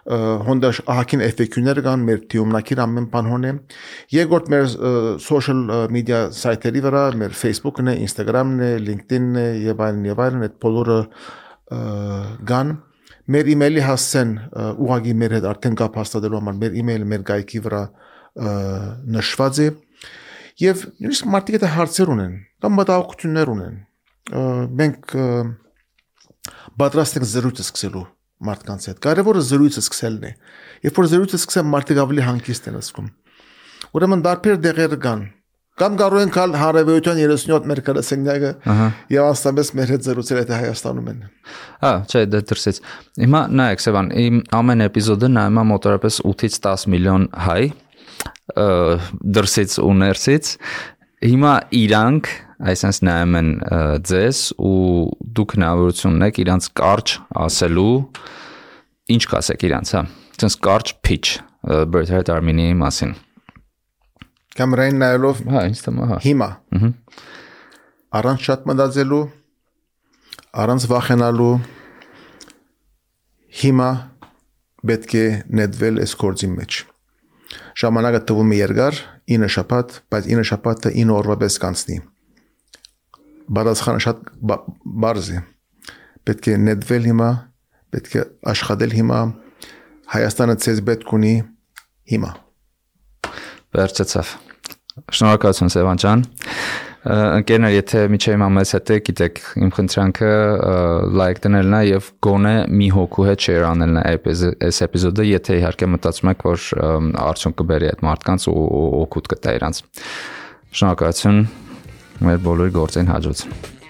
հոնդաշ ահագին FAQ-ներ կան, մեր թիումնակիր ամեն բան հոն է։ Երկրորդ մեր social media սայթերի վրա, մեր Facebook-ն է, Instagram-ն է, LinkedIn-ն է եւ այլն, այդ բոլորը կան։ Մեր email-ի հասցեն ուղղակի մեր հետ արդեն կապ հաստատելու համար մեր email-ը մեր գայքի վրա նշված է։ Եվ նույնիսկ մարդիկ այդ հարցեր ունեն, կամ մտահոգություններ ունեն։ Մենք պատրաստ ենք զրույցը սկսելու մարդկանց հետ։ Կարևորը զրույցը սկսելն է։ Երբ որ զրույցը սկսեմ, մարդիկ ավելի հանգիստ են զգում։ Ուրեմն դարբեր դեղեր կան։ Կամ կարող են կալ հարավայության 37 մեր գրասենյակը եւ աստամես մեր հետ զրուցել այդ Հայաստանում են։ Չէ, դա դրսից։ Հիմա նայեք, Սևան, իմ ամեն էպիզոդը նայում է մոտավորապես 8-ից 10 միլիոն հայ դրսից ու ներսից հիմա իրանք այսպես նայում են ձեզ ու դուք հնարավորություն ունեք իրանց կարճ ասելու ինչ կասեք իրանց, հա, այսպես կարճ pitch Birthright Armenia-ի մասին։ Կամերային նայելով, հա, ինձ թվում է, հա։ Հիմա։ Առանց շատ մտածելու, առանց վախենալու, հիմա պետք է նետվել այս գործի մեջ։ Ժամանակը տվում է երկար, 9 շաբաթ, բայց 9 շաբաթը 9 օրվա պես կանցնի։ Բարձրացանը շատ բարձ է։ Պետք է նետվել հիմա, պետք է աշխատել հիմա, Հայաստանը ցեզ պետք ունի հիմա։ Վերջացավ։ Շնորհակալություն Սևան ջան։ Ընկերներ, եթե միջև հիմա մեզ հետ եք, գիտեք, իմ խնդրանքը լայք դնելն է եւ գոնե մի հոգու հետ share անելն է այս էպիզոդը, եթե իհարկե մտածում եք, որ արդյունք կբերի այդ մարդկանց ու օգուտ կտա իրանց։ Շնորհակալություն մեր բոլորի գործին հաջողություն։